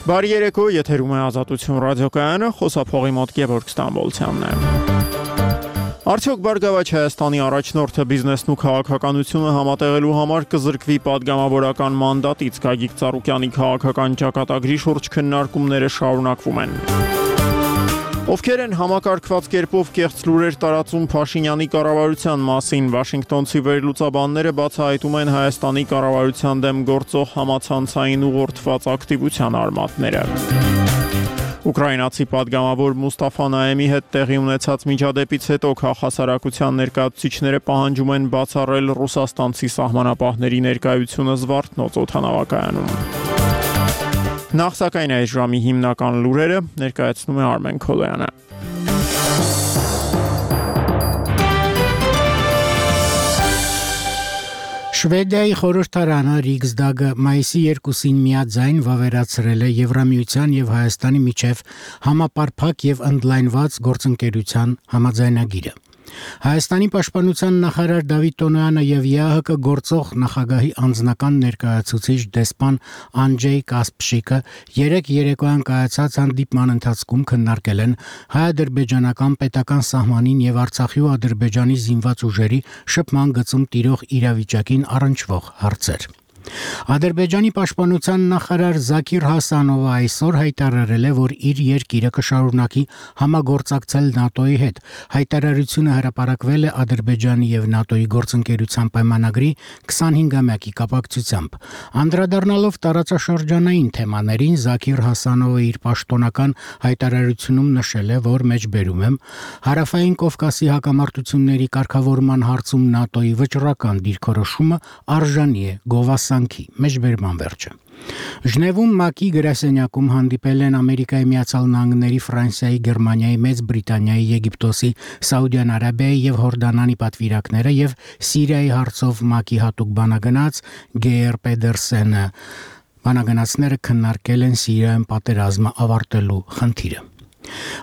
Բարի երեկո, եթերում է Ազատություն ռադիոկայանը, խոսափողի մոտ Գևորգ Ստամբոլցյանն է։ Արդյոք Բարգավաճ Հայաստանի առաջնորդը բիզնեսն ու քաղաքականությունը համատեղելու համար կզրկվի падգամավորական մանդատից? Գագիկ Ծառուկյանի քաղաքական ճակատագրի շուրջ քննարկումները շարունակվում են։ Ովքեր են համակարգված կերպով կեղծ լուրեր տարածում Փաշինյանի կառավարության մասին? Վաշինգտոնցի վերլուծաբանները բացահայտում են Հայաստանի կառավարության դեմ գործող համացանցային ուղղորդված ակտիվության արմատները։ Ուկրաինացի падգամավոր Մուստաֆա Նայեմի հետ տեղի ունեցած միջադեպից հետո քաղաքասարակության ներկայացուցիչները պահանջում են բացառել ռուսաստանցի սահմանապահների ներկայությունը Զվարթնոց օդանավակայանում։ Նախ սակայն այս ժամի հիմնական լուրերը ներկայացնում է Արմեն Քոլոյանը։ Շվեդիայի խորհրդարանը Ռիգսդագը մայիսի 2-ին միաձայն վավերացրել է Եվրամիության եւ Հայաստանի միջև համապարփակ եւ ընդլայնված գործընկերության համաձայնագիրը։ Հայաստանի պաշտպանության նախարար Դավիթ Տոնոյանը եւ ԵԱՀԿ գործող նախագահի անձնական ներկայացուցիչ դեսպան Անջեյ Կասպշիկը երեկ երեկոյան կայացած հանդիպման ընթացքում քննարկել են հայ-ադրբեջանական պետական սահմանին եւ Արցախի ու Ադրբեջանի զինված ուժերի շփման գծում տիրող իրավիճակին առնչվող հարցեր։ Ադրբեջանի պաշտպանության նախարար Զաքիր Հասանովը այսօր հայտարարել է, որ իր երկիրը կշարունակի համագործակցել ՆԱՏՕ-ի հետ։ Հայտարարությունը հրապարակվել է Ադրբեջանի եւ ՆԱՏՕ-ի գործընկերության պայմանագրի 25-ամյակի կապակցությամբ։ Անդրադառնալով տարածաշրջանային թեմաներին, Զաքիր Հասանովը իր պաշտոնական հայտարարությունում նշել է, որ մեջբերում եմ Հարավային Կովկասի հակամարտությունների կարգավորման հարցում ՆԱՏՕ-ի վճռական դիրքորոշումը արժանի է գովասանքի, մեջբերման վերջը։ Ժնևում ՄԱԿ-ի գրասենյակում հանդիպել են Ամերիկայի Միացյալ Նահանգների, Ֆրանսիայի, Գերմանիայի, Մեծ Բրիտանիայի, Եգիպտոսի, Սաուդյան Արաբիայի եւ Հորդանանի պատվիրակները եւ Սիրիայի հարցով ՄԱԿ-ի հատուկ բանագնաց Գեյր Պեդերսենը։ Բանագնացները քննարկել են Սիրիայում պատերազմը ավարտելու խնդիրը։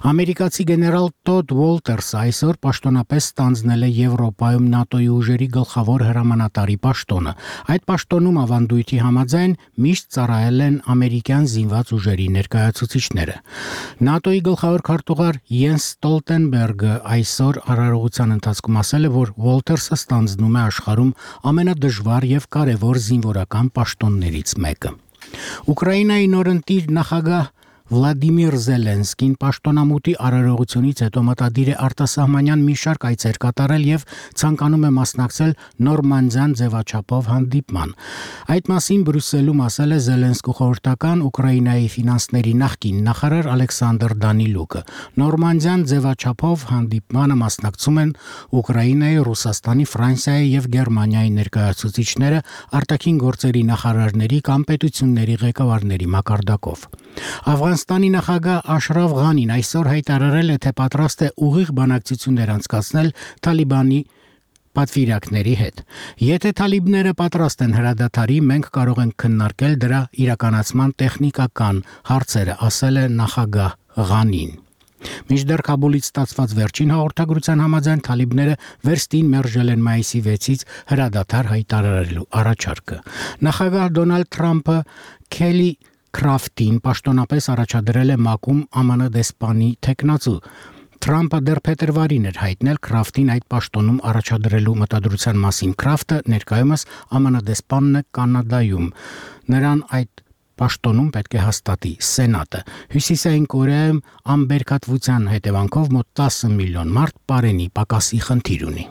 Ամերիկացի գեներալ Տոդ Ուոլտերսը այսօր պաշտոնապես ստանձնել է Եվրոպայում ՆԱՏՕ-ի ուժերի գլխավոր հրամանատարի պաշտոնը։ Այդ պաշտոնում ավանդույթի համաձայն միշտ ծառայել են ամերիկյան զինված ուժերի ներկայացուցիչները։ ՆԱՏՕ-ի գլխավոր քարտուղար Յենս Ստոլտենբերգը այսօր արարողության ընթացքում ասել է, որ Ուոլտերսը ստանձնում է աշխարհում ամենադժվար եւ կարեւոր զինվորական պաշտոններից մեկը։ Ուկրաինայի նորընտիր նախագահ Վլադիմիր Զելենսկին պաշտոնամուտի արարողությունից հետո մտադիր է արտասահմանյան մի շարք այցեր կատարել եւ ցանկանում է մասնակցել նորմանդիան ձևաչափով հանդիպման։ Այդ մասին Բրյուսելում ասել է Զելենսկու խորհրդական Ուկրաինայի ֆինանսների նախկին նախարար Ալեքսանդր Դանիլուկը։ Նորմանդիան ձևաչափով հանդիպմանը մասնակցում են Ուկրաինայի, Ռուսաստանի, Ֆրանսիայի եւ Գերմանիայի ներկայացուցիչները, արտաքին գործերի նախարարների կամ պետությունների ղեկավարների մակարդակով։ Աֆղանստանի նախագահ Աշրաֆ Ղանին այսօր հայտարարել է, թե պատրաստ է ուղիղ բանակցություններ անցկացնել Թալիբանի պատվիրակների հետ։ Եթե թալիբները պատրաստ են հրադադարի, մենք կարող ենք քննարկել դրա իրականացման տեխնիկական հարցերը, ասել է նախագահ Ղանին։ Մինչդեռ Քաբուլից ստացված վերջին հաղորդագրության համաձայն թալիբները վերստին մերժել են մայիսի 6-ից հրադադար հայտարարելու առաջարկը։ Նախագահ Դոնալդ Թրամփը Քելի Քրաֆտին պաշտոնապես առաջադրել է ՄԱԿ-ում ԱՄՆ դեսպանի թեկնածու։ Թրամփը դեռ փետրվարին էր հայտնել Քրաֆտին այդ պաշտոնում առաջադրելու մտադրության մասին։ Քրաֆտը ներկայումս ԱՄՆ դեսպանն է Կանադայում։ Նրան այդ պաշտոնում պետք է հաստատի Սենատը։ Հյուսիսային Կորեայում անբերքատվության հետևանքով մոտ 10 միլիոն մարդ պարենի պակասի խնդիր ունի։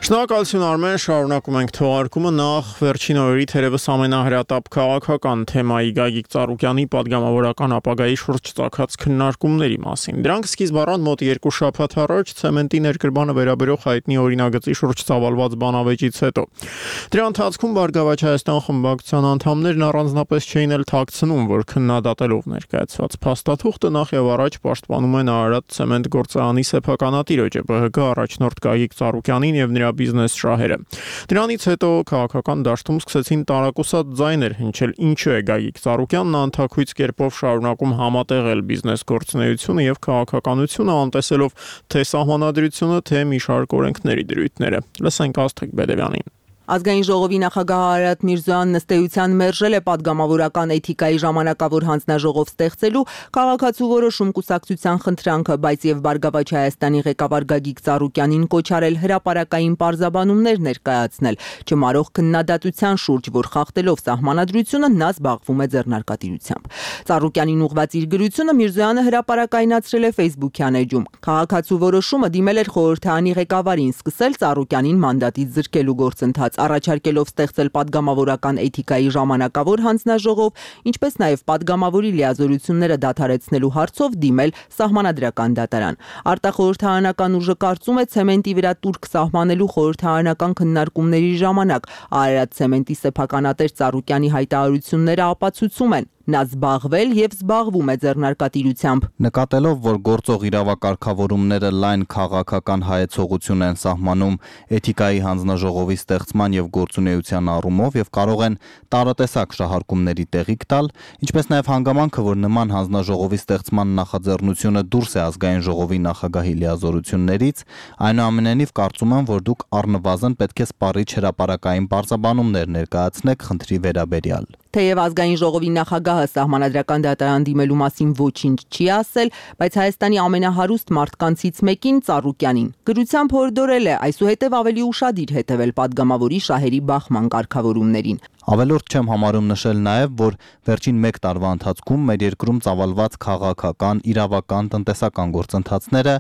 Շնորհակալություն Արմեն, շարունակում ենք թողարկումը նախ վերջին օրերի թերևս ամենահրատապ քաղաքական թեմայի Գագիկ Ծառուկյանի падգամավորական ապագայի շուրջ ծագած քննարկումների մասին։ Դրանք սկիզբ առան մոտ 2 շաբաթ առաջ ցեմենտի ներկրմանը վերաբերող հայտնի օրինագծի շուրջ ծավալված բանավեճից հետո։ Դրա ընթացքում Բարգավաճ Հայաստան խմբակցության անդամներն առանձնապես չէին էլ թաքցնում, որ քննադատելով ներկայացված փաստաթուղթը նախ եւ առաջ պաշտպանում են Արարատ ցեմենտ գործարանի սեփականատիրոջը ԲՀԿ առաջնորդ Գագիկ Ծառուկյանին եւ նրա բիզնես շահերը։ Դրանից հետո քաղաքական դաշտում սկսեցին տարակուսած ձայներ հնչել, ինչու է Գագիկ Ծառուկյանն անթաքույց կերպով շարունակում համատեղել բիզնես գործունեությունը եւ քաղաքականությունը, անտեսելով թե սահմանադրությունը, թե մի շարք օրենքների դրույթները։ Լսենք Աստղիկ Բեդևյանին։ Ազգային ժողովի նախագահ Արարատ Միրզոյանն ըստեյության մերժել է падգամավորական էթիկայի ժամանակավոր հանձնաժողով ստեղծելու քաղաքացու որոշում կուսակցության խնդրանքը, բայց եւ Բարգավաճ Հայաստանի ղեկավար Գագիկ Ծառուկյանին կոչ արել հրապարակային պարզաբանումներ ներկայացնել, չմարող քննադատության շուրջ, որ խախտելով սահմանադրությունը նա զբաղվում է ձեռնարկատիրությամբ։ Ծառուկյանին ուղղված իր գրությունը Միրզոյանը հրապարակայնացրել է Facebook-յան էջում։ Քաղաքացու որոշումը դիմել էր խորհրդարանի ղեկավարին սկսել Ծառուկյանին մանդատից զրկելու գործընթաց, առաջարկելով ստեղծել падգամավորական էթիկայի ժամանակավոր հանձնաժողով, ինչպես նաև падգամավորի լիազորությունները դադարեցնելու հարցով դիմել սահմանադրական դատարան։ Արտախորհրդարանական ուժը կարծում է ցեմենտի վրա տուրք սահմանելու խորհրդարանական քննարկումների ժամանակ Արարատ ցեմենտի սեփականատեր Ծառուկյանի հայտարարությունները ապացուցում են, նա զբաղվել եւ զբաղվում է ձեռնարկատիրությամբ։ Նկատելով, որ գործող իրավակարգավորումները լայն քաղաքական հայեցողություն են սահմանում էթիկայի հանձնաժողովի ստեղծման եւ գործունեության առումով եւ կարող են տարատեսակ շահարկումների տեղիք տալ, ինչպես նաեւ հանգամանքը, որ նման հանձնաժողովի ստեղծման նախաձեռնությունը դուրս է ազգային ժողովի նախագահի լիազորություններից, այնուամենայնիվ կարծում եմ, որ դուք առնվազն պետք է սպառիչ հրապարակային պարզաբանումներ ներկայացնեք խնդրի վերաբերյալ։ Թեև ազգային ժողովի նախագահը սահմանադրական դատարան դիմելու մասին ոչինչ չի ասել, բայց Հայաստանի ամենահարուստ մարդկանցից մեկին Ծառուկյանին գրությամբ հորդորել է այսուհետև ավելի ուշադիր հետևել падգամավորի շահերի բախման կարգավորումներին։ Ավելորդ չեմ համարում նշել նաև, որ վերջին 1 տարվա ընթացքում մեր երկրում ծավալված քաղաքական, իրավական, տնտեսական գործընթացները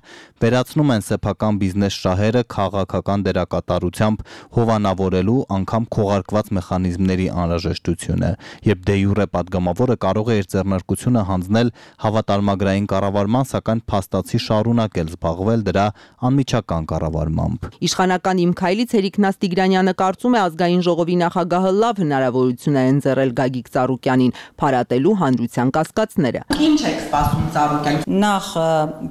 վերացնում են սեփական բիզնես շահերը քաղաքական դերակատարությամբ հովանավորելու անգամ քողարկված մեխանիզմների անհրաժեշտությունը, երբ դե յուրե падգամավորը կարող է իր ձեռնարկությունը հանձնել հավատարմագրային կառավարման, սակայն փաստացի շարունակել զբաղվել դրա անմիջական կառավարմամբ։ Իշխանական Իմ քայլից Հերիկնաս Տիգրանյանը կարծում է ազգային ժողովի նախագահը լավ հնարավորություն է ընձեռել Գագիկ Ծառուկյանին փարատելու հանրության կասկածները։ Ինչ եք սպասում Ծառուկյանին։ Նախ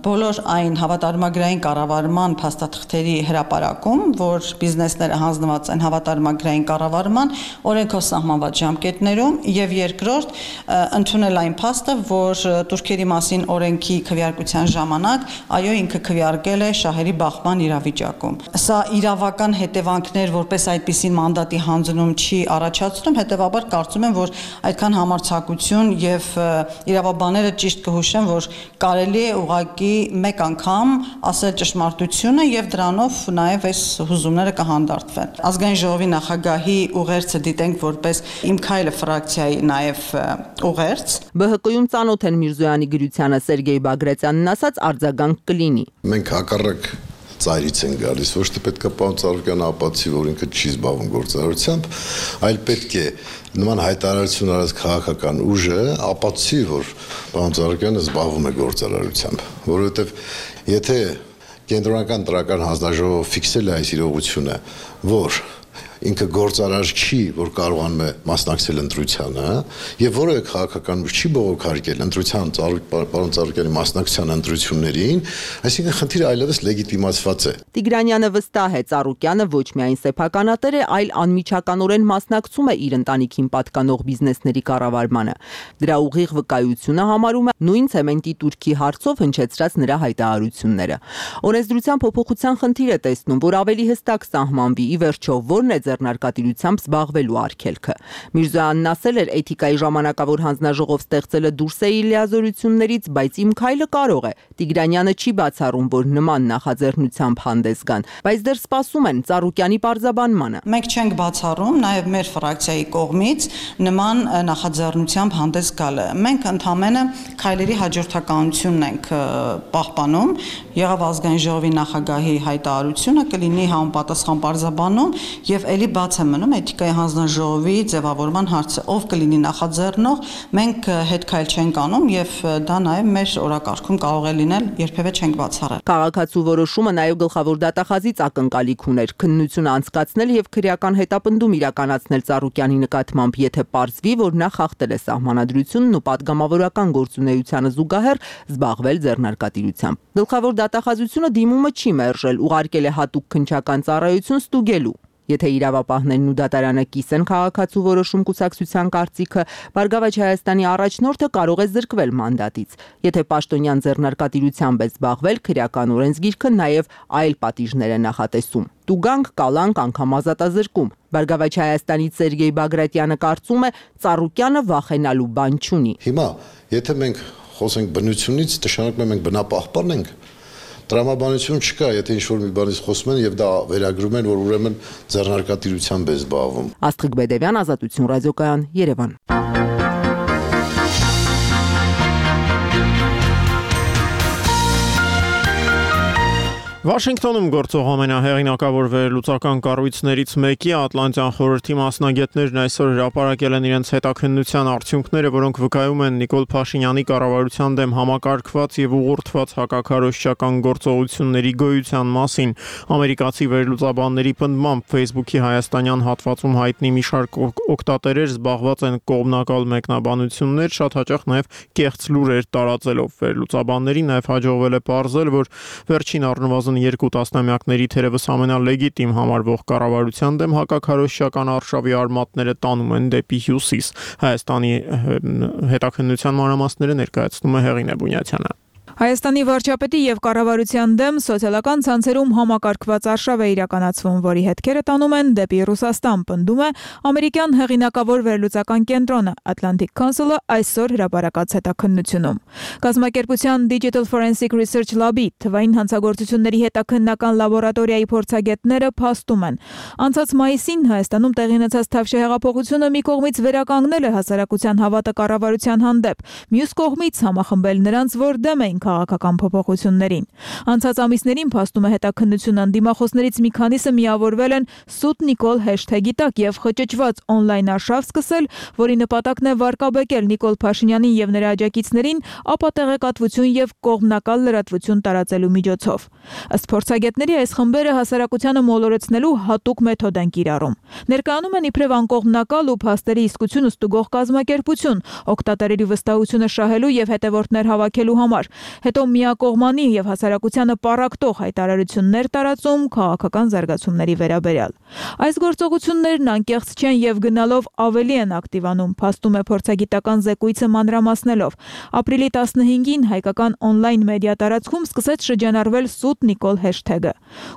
բոլոր այն հավատարմագրային կառավարման փաստաթղթերի հրապարակում, որ բիզնեսները հանձնված են հավատարմագրային կառավարման օրենքով սահմանված ժամկետներում, եւ երկրորդ ընդունել այն փաստը, որ турքերի մասին օրենքի քվեարկության ժամանակ այո ինքը քվեարկել է շահերի բախման իրավիճակում։ Սա իրավական հետևանքներ որպես այդպիսին մանդատի հանձնում չի առաջացնում, հետևաբար կարծում եմ, որ այդքան համարձակություն եւ իրավաբանները ճիշտ կհուշեն, որ կարելի է ուղղակի մեկ անգամ ասել ճշմարտությունը եւ դրանով նաեւ այս հուզումները կհանդարտվեն։ Ազգային ժողովի նախագահի ուղերձը դիտենք որպես Իմ քայլը ֆրակցիայի նաեւ ուղերձ։ ԲՀԿ-ում ծանոթ են Միրզոյանի գրությանը Սերգեյ Բագրատյանն ասած արձագանք կլինի։ Մենք հակառակ ծայրից են գալիս, ոչ թե պետք է պարոն Ծառուկյանը ապացուցի, որ ինքը չի զբաղվում գործարարությամբ, այլ պետք է նման հայտարարություն արած քաղաքական ուժը ապացուցի, որ պարոն Ծառուկյանը զբաղվում է գործարարությամբ, որովհետև եթե կենտրոնական տրական հանձնաժողովը ֆիքսել է այս իրողությունը, որ ինքը գործարար չի, որ կարողանում է մասնակցել ընտրությանը, եւ որևէ քաղաքական ուժ չի բողոքարկել ընտրության պարոն Ծառուկյանի մասնակցության ընտրություններին, այսինքն խնդիրը այլևս լեգիտիմացված է։ Տիգրանյանը վստահ է, Ծառուկյանը ոչ միայն սեփականատեր է, այլ անմիջականորեն մասնակցում է իր ընտանիքին պատկանող բիզնեսների կառավարմանը։ Դրա ուղիղ վկայությունը համարում է նույն ցեմենտի турքի հարցով հնչեցրած նրա հայտարարությունները։ Օրենսդրության փոփոխության խնդիր է տեսնում, որ ավելի հստակ սահմանվի ի վերջո որն է ձեռնարկատիրությամբ զբաղվելու արգելքը։ Միրզոյանն ասել էր, էթիկայի ժամանակավոր հանձնաժողով ստեղծելը դուրս է իր լիազորություններից, բայց իմ քայլը կարող է։ Տիգրանյանը չի բացառում, որ նման նախաձեռնությամբ հանդես գան, բայց դեռ սպասում են Ծառուկյանի պարզաբանմանը։ Մենք չենք բացառում նաև մեր ֆրակցիայի կողմից նման նախաձեռնությամբ հանդես գալը։ Մենք ընդհանրապես քայլերի հաջորդականությունն ենք պահպանում։ Եղավ ազգային ժողովի նախագահի հայտարարությունը, կլինի համապատասխան պարզաբանում եւ ելի բաց է մնում էթիկայի հանձնաժողովի ձևավորման հարցը, ով կլինի նախաձեռնող, մենք հետ քայլ չենք անում եւ դա նաեւ մեր օրակարգում կարող է լինել, երբևէ չենք բացառել։ Քաղաքացու որոշումը նաեւ գլխավոր դատախազից ակնկալիք ուներ քննություն անցկացնել եւ քրեական հետապնդում իրականացնել Ծառուկյանի նկատմամբ, եթե պարզվի, որ նա խախտել է սահմանադրությունն ու պատգամավորական գործունեությանը զուգահեռ զբաղվել ձեռնարկատիրությամբ։ Գլխավոր դատախազությունը դիմումը չի մերժել, ուղարկել է հատուկ քննչական ծառայություն ստուգելու։ Եթե իրավապահներն ու դատարանը կիսեն քաղաքացու որոշում կուսակցության կարծիքը, Բարգավաճ Հայաստանի առաջնորդը կարող է զրկվել մանդատից։ Եթե պաշտոնյան ձեռնարկատիրությամբ է զբաղվել, քրեական օրենսգիրքը նաև այլ պատիժներ է նախատեսում։ Տուգանք, կալանք, անգամ ազատազրկում։ Բարգավաճ Հայաստանից Սերգեյ Բագրատյանը կարծում է, Ծառուկյանը վախենալու բան չունի։ Հիմա, եթե մենք խոսենք բնությունից, նշանակում է մենք բնապահպան ենք։ Տրամաբանություն չկա, եթե ինչ-որ մի բանից խոսում են եւ դա վերագրում են, որ ուրեմն ձեռնարկատիրությամբ է զբաղվում։ Աստղիկ Բեդևյան, Ազատություն ռադիոկայան, Երևան։ Վաշինգտոնում գործող ամենահեղինակավոր վերլուծական կառույցներից մեկի Ատլանտյան խորհրդի մասնագետներն այսօր հրապարակել են իրենց հետաքննության արդյունքները, որոնք վկայում են Նիկոլ Փաշինյանի կառավարության դեմ համակարգված եւ ուղղորդված հակաքարոզչական գործողությունների գոյության մասին։ Ամերիկացի վերլուծաբանների պնդմամբ Facebook-ի հայաստանյան հատվածում հայտնի մի շարք օգտատերեր զբաղված են կողմնակալ մեկնաբանություններ, շատ հաճախ նաեւ կեղծ լուրեր տարածելով։ Վերլուծաբաններին նաեւ հաջողվել է պարզել, որ վերջին առնվազն 2 տասնամյակների թերևս ամենալեգիտիմ համարվող կառավարության դեմ հակաքարոզչական արշավի արմատները տանում են դեպի հյուսիս։ Հայաստանի հետաքննության մանրամասները ներկայացնում է Հեղինե Բունյացյանը։ Հայաստանի վարչապետի եւ կառավարության դեմ սոցիալական ցանցերում համակարգված արշավ է իրականացվում, որի հետքերը տանում են դեպի Ռուսաստան, պնդում է ամերիկյան հեղինակավոր վերլուծական կենտրոնը Atlantic Council-ը այսօր հրապարակած հետաքննությունում։ Կազմակերպության Digital Forensic Research Lab-ի թվային հանցագործությունների հետաքննական լաբորատորիայի փորձագետները փաստում են, անցած մայիսին Հայաստանում տեղի ունեցած Թավշյա հեղափոխությունը մի կողմից վերականգնել է հասարակության հավատը կառավարության հանդեպ, մյուս կողմից համախմբել նրանց, որ դեմ էին քաղաքական փոփոխություններին։ Անցած ամիսներին փաստում է հետաքննությունը դիմախոսներից մի քանիսը միավորվել են «Սուտ Նիկոլ» հեշթեգի տակ եւ խճճված օնլայն արշավ սկսել, որի նպատակն է վարկաբեկել Նիկոլ Փաշինյանին եւ նրա աջակիցներին ապատեղեկատվություն եւ կողմնակալ լրատվություն տարածելու միջոցով։ Ըստ փորձագետների, այս խմբերը հասարակությանը մոլորեցնելու հատուկ մեթոդ են կիրառում։ Ներկայանում են իբրև անկողմնակալ ու փաստերի իսկությունը ստուգող կազմակերպություն, օգտատերերի վստահությունը շահելու եւ հետևորդներ հավաքելու համար։ Հետո միակողմանի եւ հասարակությանը պառակտող հայտարարություններ տարածում քաղաքական զարգացումների վերաբերյալ։ Այս գործողություններն անկեղծ չեն եւ գնալով ավելի են ակտիվանում, փաստում է փորձագիտական զեկույցը մանրամասնելով։ Ապրիլի 15-ին հայկական օնլայն մեդիա տարածքում սկսեց շրջանառվել «Սուտ Նիկոլ» հեշթեգը։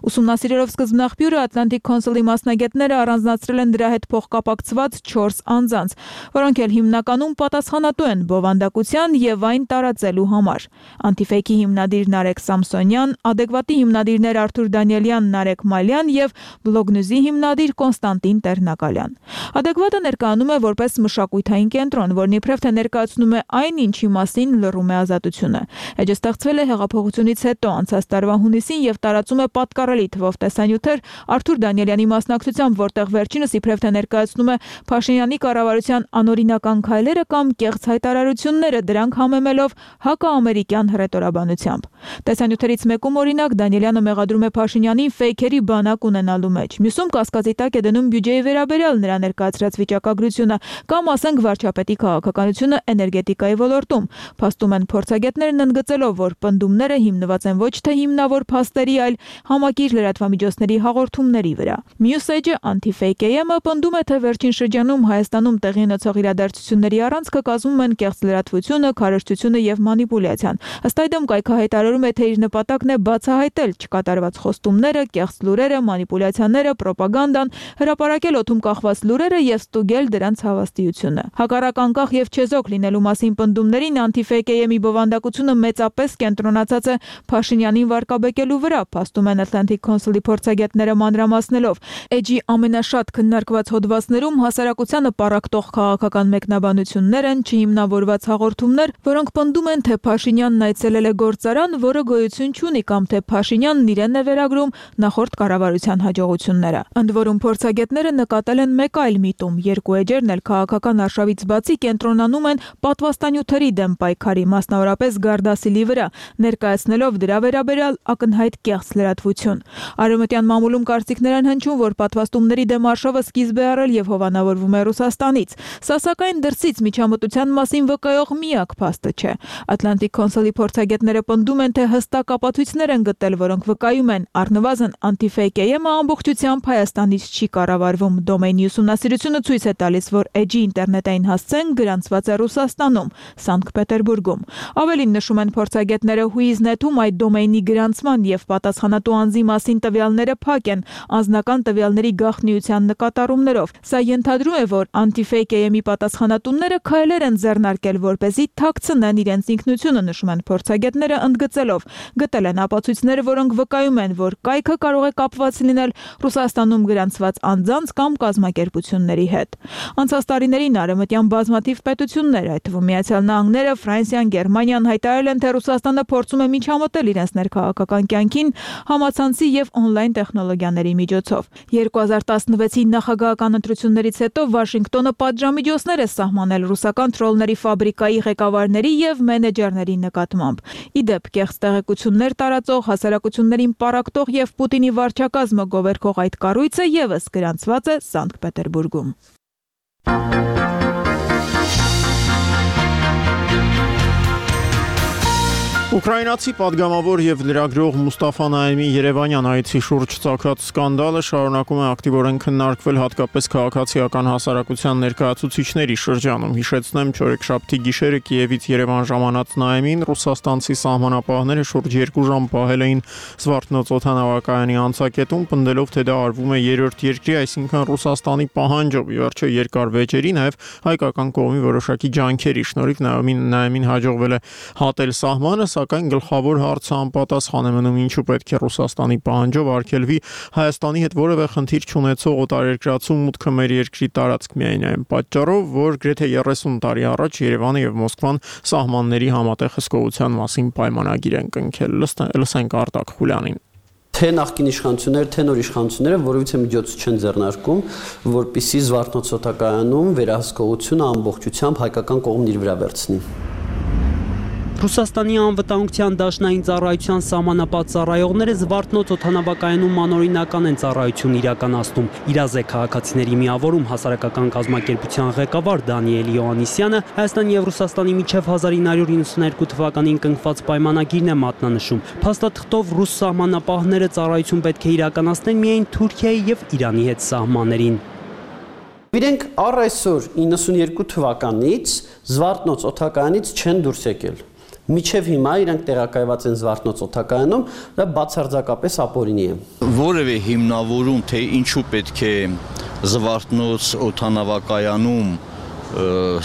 Ուսումնասիրելով սկզբնաղբյուրը Atlantic Council-ի մասնագետները առանձնացրել են դրա հետ փոխկապակցված 4 անձանց, որոնք էլ հիմնականում պատասխանատու են բովանդակության եւ այն տարածելու համար։ Անտիֆեյքի հիմնադիր Նարեկ Սամսոնյան, Ադեկվատի հիմնադիրներ Արթուր Դանիելյան, Նարեկ Մալյան եւ Բլոգնյուզի հիմնադիր Կոնստանտին Տերնակալյան։ Ադեկվատը ներկայանում է որպես մշակութային կենտրոն, որն իբրև թե ներկայացնում է այն, ինչի մասին լռում է ազատությունը։ Էջը ստեղծվել է հեղափոխությունից հետո անցած տարվա հունիսին եւ տարածում է պատկառելի թվով տեսանյութեր Արթուր Դանիելյանի մասնակցությամբ, որտեղ վերջինս իբրև թե ներկայացնում է Փաշինյանի կառավարության անօրինական քայլերը կամ կեղծ հայտարարությունները, դրանք համեմելով հակաամերիկյան հռետորաբանությամբ։ Տեսանյութերից մեկում օրինակ Դանիելյանը մեղադրում է Փաշինյանին ֆեյքերի բանակ ունենալու մեջ։ Մյուսում կասկածի տակ է դնում բյուջեի վերաբերյալ նրա ներկայացրած վիճակագրությունը կամ ասենք վարչապետի քաղաքականությունը էներգետիկայի ոլորտում։ Փաստում են փորձագետներն ընդգծելով, որ պնդումները հիմնված են ոչ թե հիմնավոր փաստերի, այլ համակիր լրատվամիջոցների հաղորդումների վրա։ Մյուս էջը Anti-Fake AM-ը պնդում է, թե վերջին շրջանում Հայաստանում տեղի ունեցող իրադարձությունների առանցքը կազմում են կեղծ լրատվությունը, քարոզչությունը եւ մանիպուլյացիան։ Ըստ այդմ կայքը հայտարարում է, թե իր նպատակն է բացահայտել չկատարված խոստումները, կեղծ լուրերը, մանիպուլյացիաները, պրոպագանդան, հրապարակել օդում կախված լուրերը եւ ստուգել դրանց հավաստիությունը։ Հակառակ անկախ եւ չեզոք լինելու մասին պնդումներին Anti-Fake-ի բովանդակությունը մեծապես կենտրոնացած է Փաշինյանին վարկաբեկելու վրա, փաստում են Atlantic Council-ի փորձագետները մանրամասնելով։ Էջի ամենաշատ քննարկված հոդվածներում հասարակությանը պառակտող քաղաքական մեկնաբանություններ են, չհիմնավորված հաղորդումներ, որոնք պնդում են, թե Փաշինյանն այցելել է գործարան, որը գոյություն չունի, կամ թե Փաշինյանն իրեն է վերագրում նախորդ կառավարության հաջողությունները։ Ընդ որում փորձագետները նկատել են մեկ այլ միտում. երկու էջերն էլ քաղաքական արշավից բացի կենտրոնանում են պատվաստանյութերի դեմ պայքարի, մասնավորապես Գարդասիլի վրա, ներկայացնելով դրա վերաբերյալ ակնհայտ կեղծ լրատվություն։ Արևմտյան մամուլում կարծիքներ են հնչում, որ պատվաստումների դեմ արշավը սկիզբ է առել եւ հովանավորվում է Ռուսաստանից։ Սա սակայն դրսից միջամտության մասին վկայող միակ փաստը չէ։ Atlantic Council-ի փորձագետները պնդում են, թե հստակ ապացույցներ են գտել, որոնք վկայում են առնվազն Anti-Fake-ը ամբողջությամբ Հայաստանից չի կառավարվում։ Դոմեյնի ուսումնասիրությունը ցույց է տալիս, որ էջի ինտերնետային հասցեն գրանցված է Ռուսաստանում, Սանկտ Պետերբուրգում։ Ավելին նշում են փորձագետները, Huiznet-ում այդ դոմեյնի գրանցման եւ պատասխանատու անձի մասին տվյալները փակ են, անձնական տվյալների գաղտնիության նկատառումներով։ Սա ենթադրում է, որ Anti-Fake-ի պատասխանատուները քայլեր են ձեռնարկել, որպեսզի թաքցնեն իրենց ինքնությունը, նշում են փորձագետները, ընդգծելով. գտել են ապացույցներ, որոնք վկայում են, որ կայքը կարող է կապված լինել Ռուսաստանում գրանցված անձանց կամ կազմակերպությունների հետ։ Անցած տարիներին արևմտյան բազմաթիվ պետություններ, այդ թվում Միացյալ Նահանգները, Ֆրանսիան, Գերմանիան հայտարարել են, թե Ռուսաստանը փորձում է միջամտել իրենց ներքաղաքական կյանքին համացանցի եւ օնլայն տեխնոլոգիաների միջոցով։ 2016-ի նախագահական ընտրություններից հետո Վաշինգտոնը պատժամիջոցներ է սահմանել ռուսական թրոլների ֆաբրիկայի ղեկավարների եւ մենեջերների նկատմամբ։ Ի դեպ, կեղծ տեղեկություններ տարածող, հասարակություններին պառակտող եւ Պուտինի վարչակազմը գովերքող այդ կառույցը եւս գրանցված է Սանկտ Պետերբուրգում։ Ուկրաինացի падգամավոր եւ լրագրող Մուստաֆա Նաիմի Երևանյան այցի շուրջ ծագած սկանդալը շարունակում է ակտիվորեն քննարկվել հատկապես քաղաքացիական հասարակության ներկայացուցիչների շրջանում։ Հիշեցնեմ, չորեքշաբթի գիշերը Կիևից Երևան ժամանած Նաիմին ռուսաստանցի սահմանապահները շուրջ 2 ժամ պահել էին Զվարթնոց օդանավակայանի անցակետում, պնդելով, թե դա արվում է երրորդ երկրի, այսինքն Ռուսաստանի պահանջով։ Վերջը երկար վեճերի նաեւ հայկական կողմի որոշակի ջանքերի շնորհիվ Նաիմին հաջողվել է հատել սահմանը, սակայն գլխավոր հարցը անպատասխան է մնում, ինչու պետք է Ռուսաստանի պահանջով արգելվի Հայաստանի հետ որևէ խնդիր չունեցող օտարերկրացու մուտքը մեր երկրի տարածք միայն այն պատճառով, որ գրեթե 30 տարի առաջ Երևանը եւ Մոսկվան սահմանների համատեղ հսկողության մասին պայմանագիր են կնքել։ Լսենք Արտակ Խուլյանին։ Թե նախկին իշխանությունները, թե նոր իշխանությունները որևիցե միջոց չեն ձեռնարկում, որպեսզի Զվարթնոց օդանավակայանում վերահսկողությունը ամբողջությամբ հայկական կողմն իր վրա վերցնի։ Ռուսաստանի անվտանգության դաշնային ծառայության սահմանապատ ծառայողները Զվարթնոց օդանավակայանում անօրինական են ծառայություն իրականացնում։ Իրազ է քաղաքացիների միավորում հասարակական կազմակերպության ղեկավար Դանիել Յոհաննիսյանը Հայաստանի եւ Ռուսաստանի միջև 1992 թվականին կնքված պայմանագիրն է մատնանշում։ Փաստաթղթով ռուս սահմանապահները ծառայություն պետք է իրականացնեն միայն Թուրքիայի եւ Իրանի հետ սահմաններին։ Իրենք առ այսօր 92 թվականից Զվարթնոց օդանավակայանից չեն դուրս եկել։ Միջև հիմա իրենք տեղակայված են Զվարթնոց օդանավակայանում, դա բացարձակապես ապօրինի է։ Որևէ հիմնավորում, թե ինչու պետք է Զվարթնոց օդանավակայանում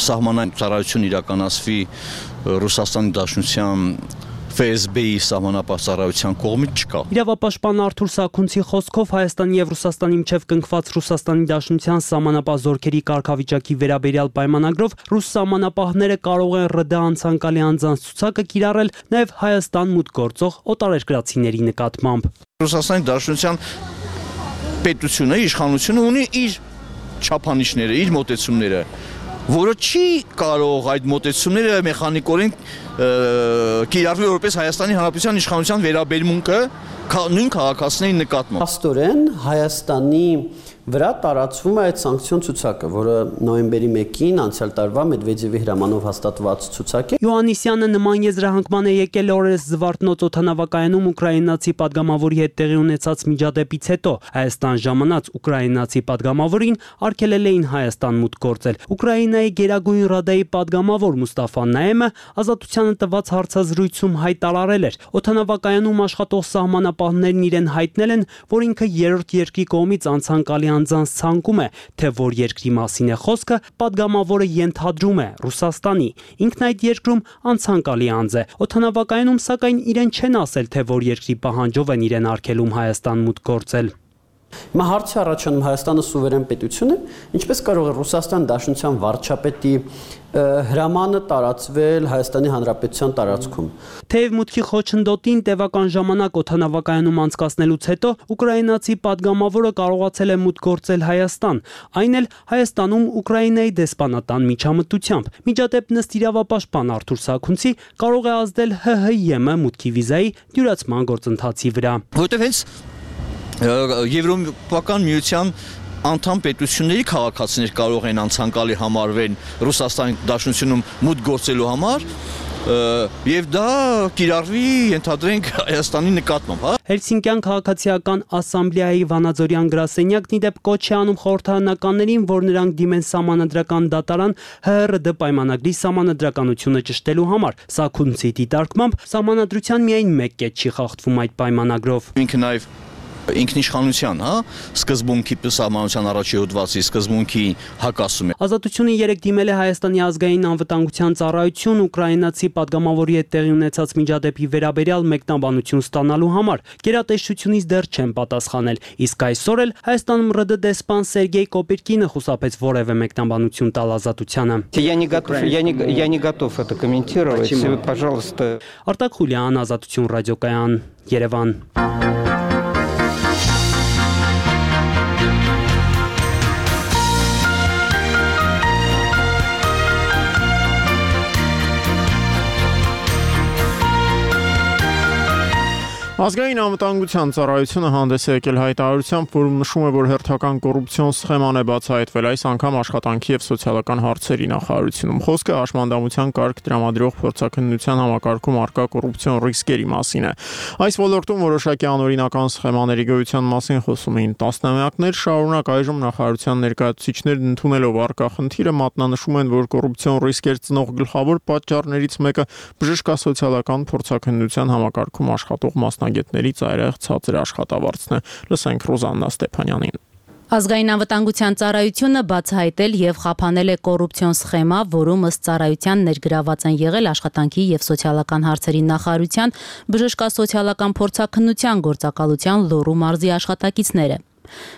սահմանային ծառայություն իրականացվի Ռուսաստանի Դաշնության ՖՍԲ-ի սահմանապահ ծառայության կողմից չկա։ Իրավապաշտպան Արթուր Սաքունցի խոսքով Հայաստանի եւ Ռուսաստանի միջև կնքված Ռուսաստանի Դաշնության սահմանապահ զորքերի կարգավիճակի վերաբերյալ պայմանագրով ռուս սահմանապահները կարող են ՌԴ անցանկալի անձանց ցուցակը կիրառել նաեւ Հայաստան մուտք գործող օտարերկրացիների նկատմամբ։ Ռուսաստանի Դաշնության պետությունը, իշխանությունը ունի իր չափանիշները, իր մոտեցումները, որը չի կարող այդ մոտեցումները մեխանիկորեն կիրառվի որպես Հայաստանի Հանրապետության իշխանության վերաբերմունքը նույն քաղաքացիների նկատմամբ։ Փաստորեն Հայաստանի վրա տարածվում է այդ սանկցիոն ցուցակը, որը նոյեմբերի 1-ին անցյալ տարվա Մեդվեդևի հրամանով հաստատված ցուցակ է։ Յոհաննիսյանը նման եզրահանգման է եկել օրերս Զվարթնոց օդանավակայանում ուկրաինացի падգամավորի հետ տեղի ունեցած միջադեպից հետո։ Հայաստան ժամանած ուկրաինացի падգամավորին արգելել էին Հայաստան մուտք գործել։ Ուկրաինայի Գերագույն ռադայի падգամավոր Մուստաֆա Նաեմը ազատությանը տված հարցազրույցում հայտարարել էր. օդանավակայանում աշխատող սահմանապահներն իրեն հայտնել են, որ ինքը երրորդ երկրի կողմից անցանկալի անձանց ցանկում է, թե որ երկրի մասին է խոսքը, падգամավորը ենթադրում է Ռուսաստանի։ Ինքն այդ երկրում անցանկալի անձ է։ Օդանավակայանում սակայն իրեն չեն ասել, թե որ երկրի պահանջով են իրեն արգելում Հայաստան մուտք գործել։ Հիմա հարցը առաջանում Հայաստանը սուվերեն պետություն է, ինչպես կարող է Ռուսաստան Դաշնության վարչապետի հրամանը տարածվել Հայաստանի Հանրապետության տարածքում։ Թեև մուտքի խոչընդոտին տևական ժամանակ օդանավակայանում անցկացնելուց հետո ուկրաինացի падգամավորը կարողացել է մուտք գործել Հայաստան, այն էլ Հայաստանում Ուկրաինայի դեսպանատան միջամտությամբ։ Միջադեպ ըստ իրավապաշտպան Արթուր Սաքունցի կարող է ազդել ՀՀ-ԵՄ մուտքի վիզայի դյուրացման գործընթացի վրա։ Որտեվ հենց Եվրոպական միության անդամ պետությունների քաղաքացիներ կարող են անցանկալի համարվեն Ռուսաստանի Դաշնությունում մուտք գործելու համար եւ դա կիրառվի ենթադրենք Հայաստանի նկատմամբ, հա։ Հելսինկյան քաղաքացիական ասամբլեայի Վանաձորյան գրասենյակն իդեպ կոչ է անում խորհրդարանականներին, որ նրանք դիմեն սահմանադրական դատարան ՀՀՌԴ պայմանագրի սահմանադրականությունը ճշտելու համար։ Սաքունցի դիտարկմամբ սահմանադրության միայն մեկ կետ չի խախտվում այդ պայմանագրով։ Ինքը նաեւ ինքնիշխանության, հա, սկզբունքի սահմանության առաջի հոդվածի սկզբունքի հակասում է։ Ազատությունը երեք դիմել է Հայաստանի ազգային անվտանգության ծառայություն ուկրաինացի падգամավորի հետ տեղի ունեցած միջադեպի վերաբերյալ մեկնաբանություն стանալու համար։ Գերատեսչությունից դեռ չեն պատասխանել, իսկ այսօր էլ Հայաստանում ՌԴ դեսպան Սերգեյ Կոպիրկինը խուսափեց որևէ մեկնաբանություն տալ ազատությանը։ Я не готов это комментировать. Пожалуйста. Արտակ Խուլյան, Ազատություն ռադիոկայան, Երևան։ Ազգային անվտանգության ծառայությունը հանդես է եկել հայտարարությամբ, որում նշում է, որ հերթական կոռուպցիոն սխեման է բացահայտվել այս անգամ աշխատանքի եւ սոցիալական հարցերի նախարարությունում։ Խոսքը հաշմանդամության կարգ տրամադրող փորձաքննության համակարգում արկա կոռուպցիոն ռիսկերի մասին է։ Այս ոլորտում որոշակի անօրինական սխեմաների գոյության մասին խոսում էին տասնամյակներ շարունակ, այժմ նախարարության ներկայացուցիչներն ընդունելով արկա խնդիրը մատնանշում են, որ կոռուպցիոն ռիսկեր ծնող գլխավոր պատճառներից մեկը բժշկասոցիալական փորձաքննության համակարգում աշխատող մասնագետների ծայրահեղ ցածր աշխատավարձն է։ Լսենք Ռոզաննա Ստեփանյանին։ Ազգային անվտանգության ծառայությունը բացահայտել եւ խափանել է կոռուպցիոն սխեմա, որում ըստ ծառայության ներգրաված են եղել աշխատանքի եւ սոցիալական հարցերի նախարարության բժշկասոցիալական փորձաքննության գործակալության Լոռու մարզի աշխատակիցները։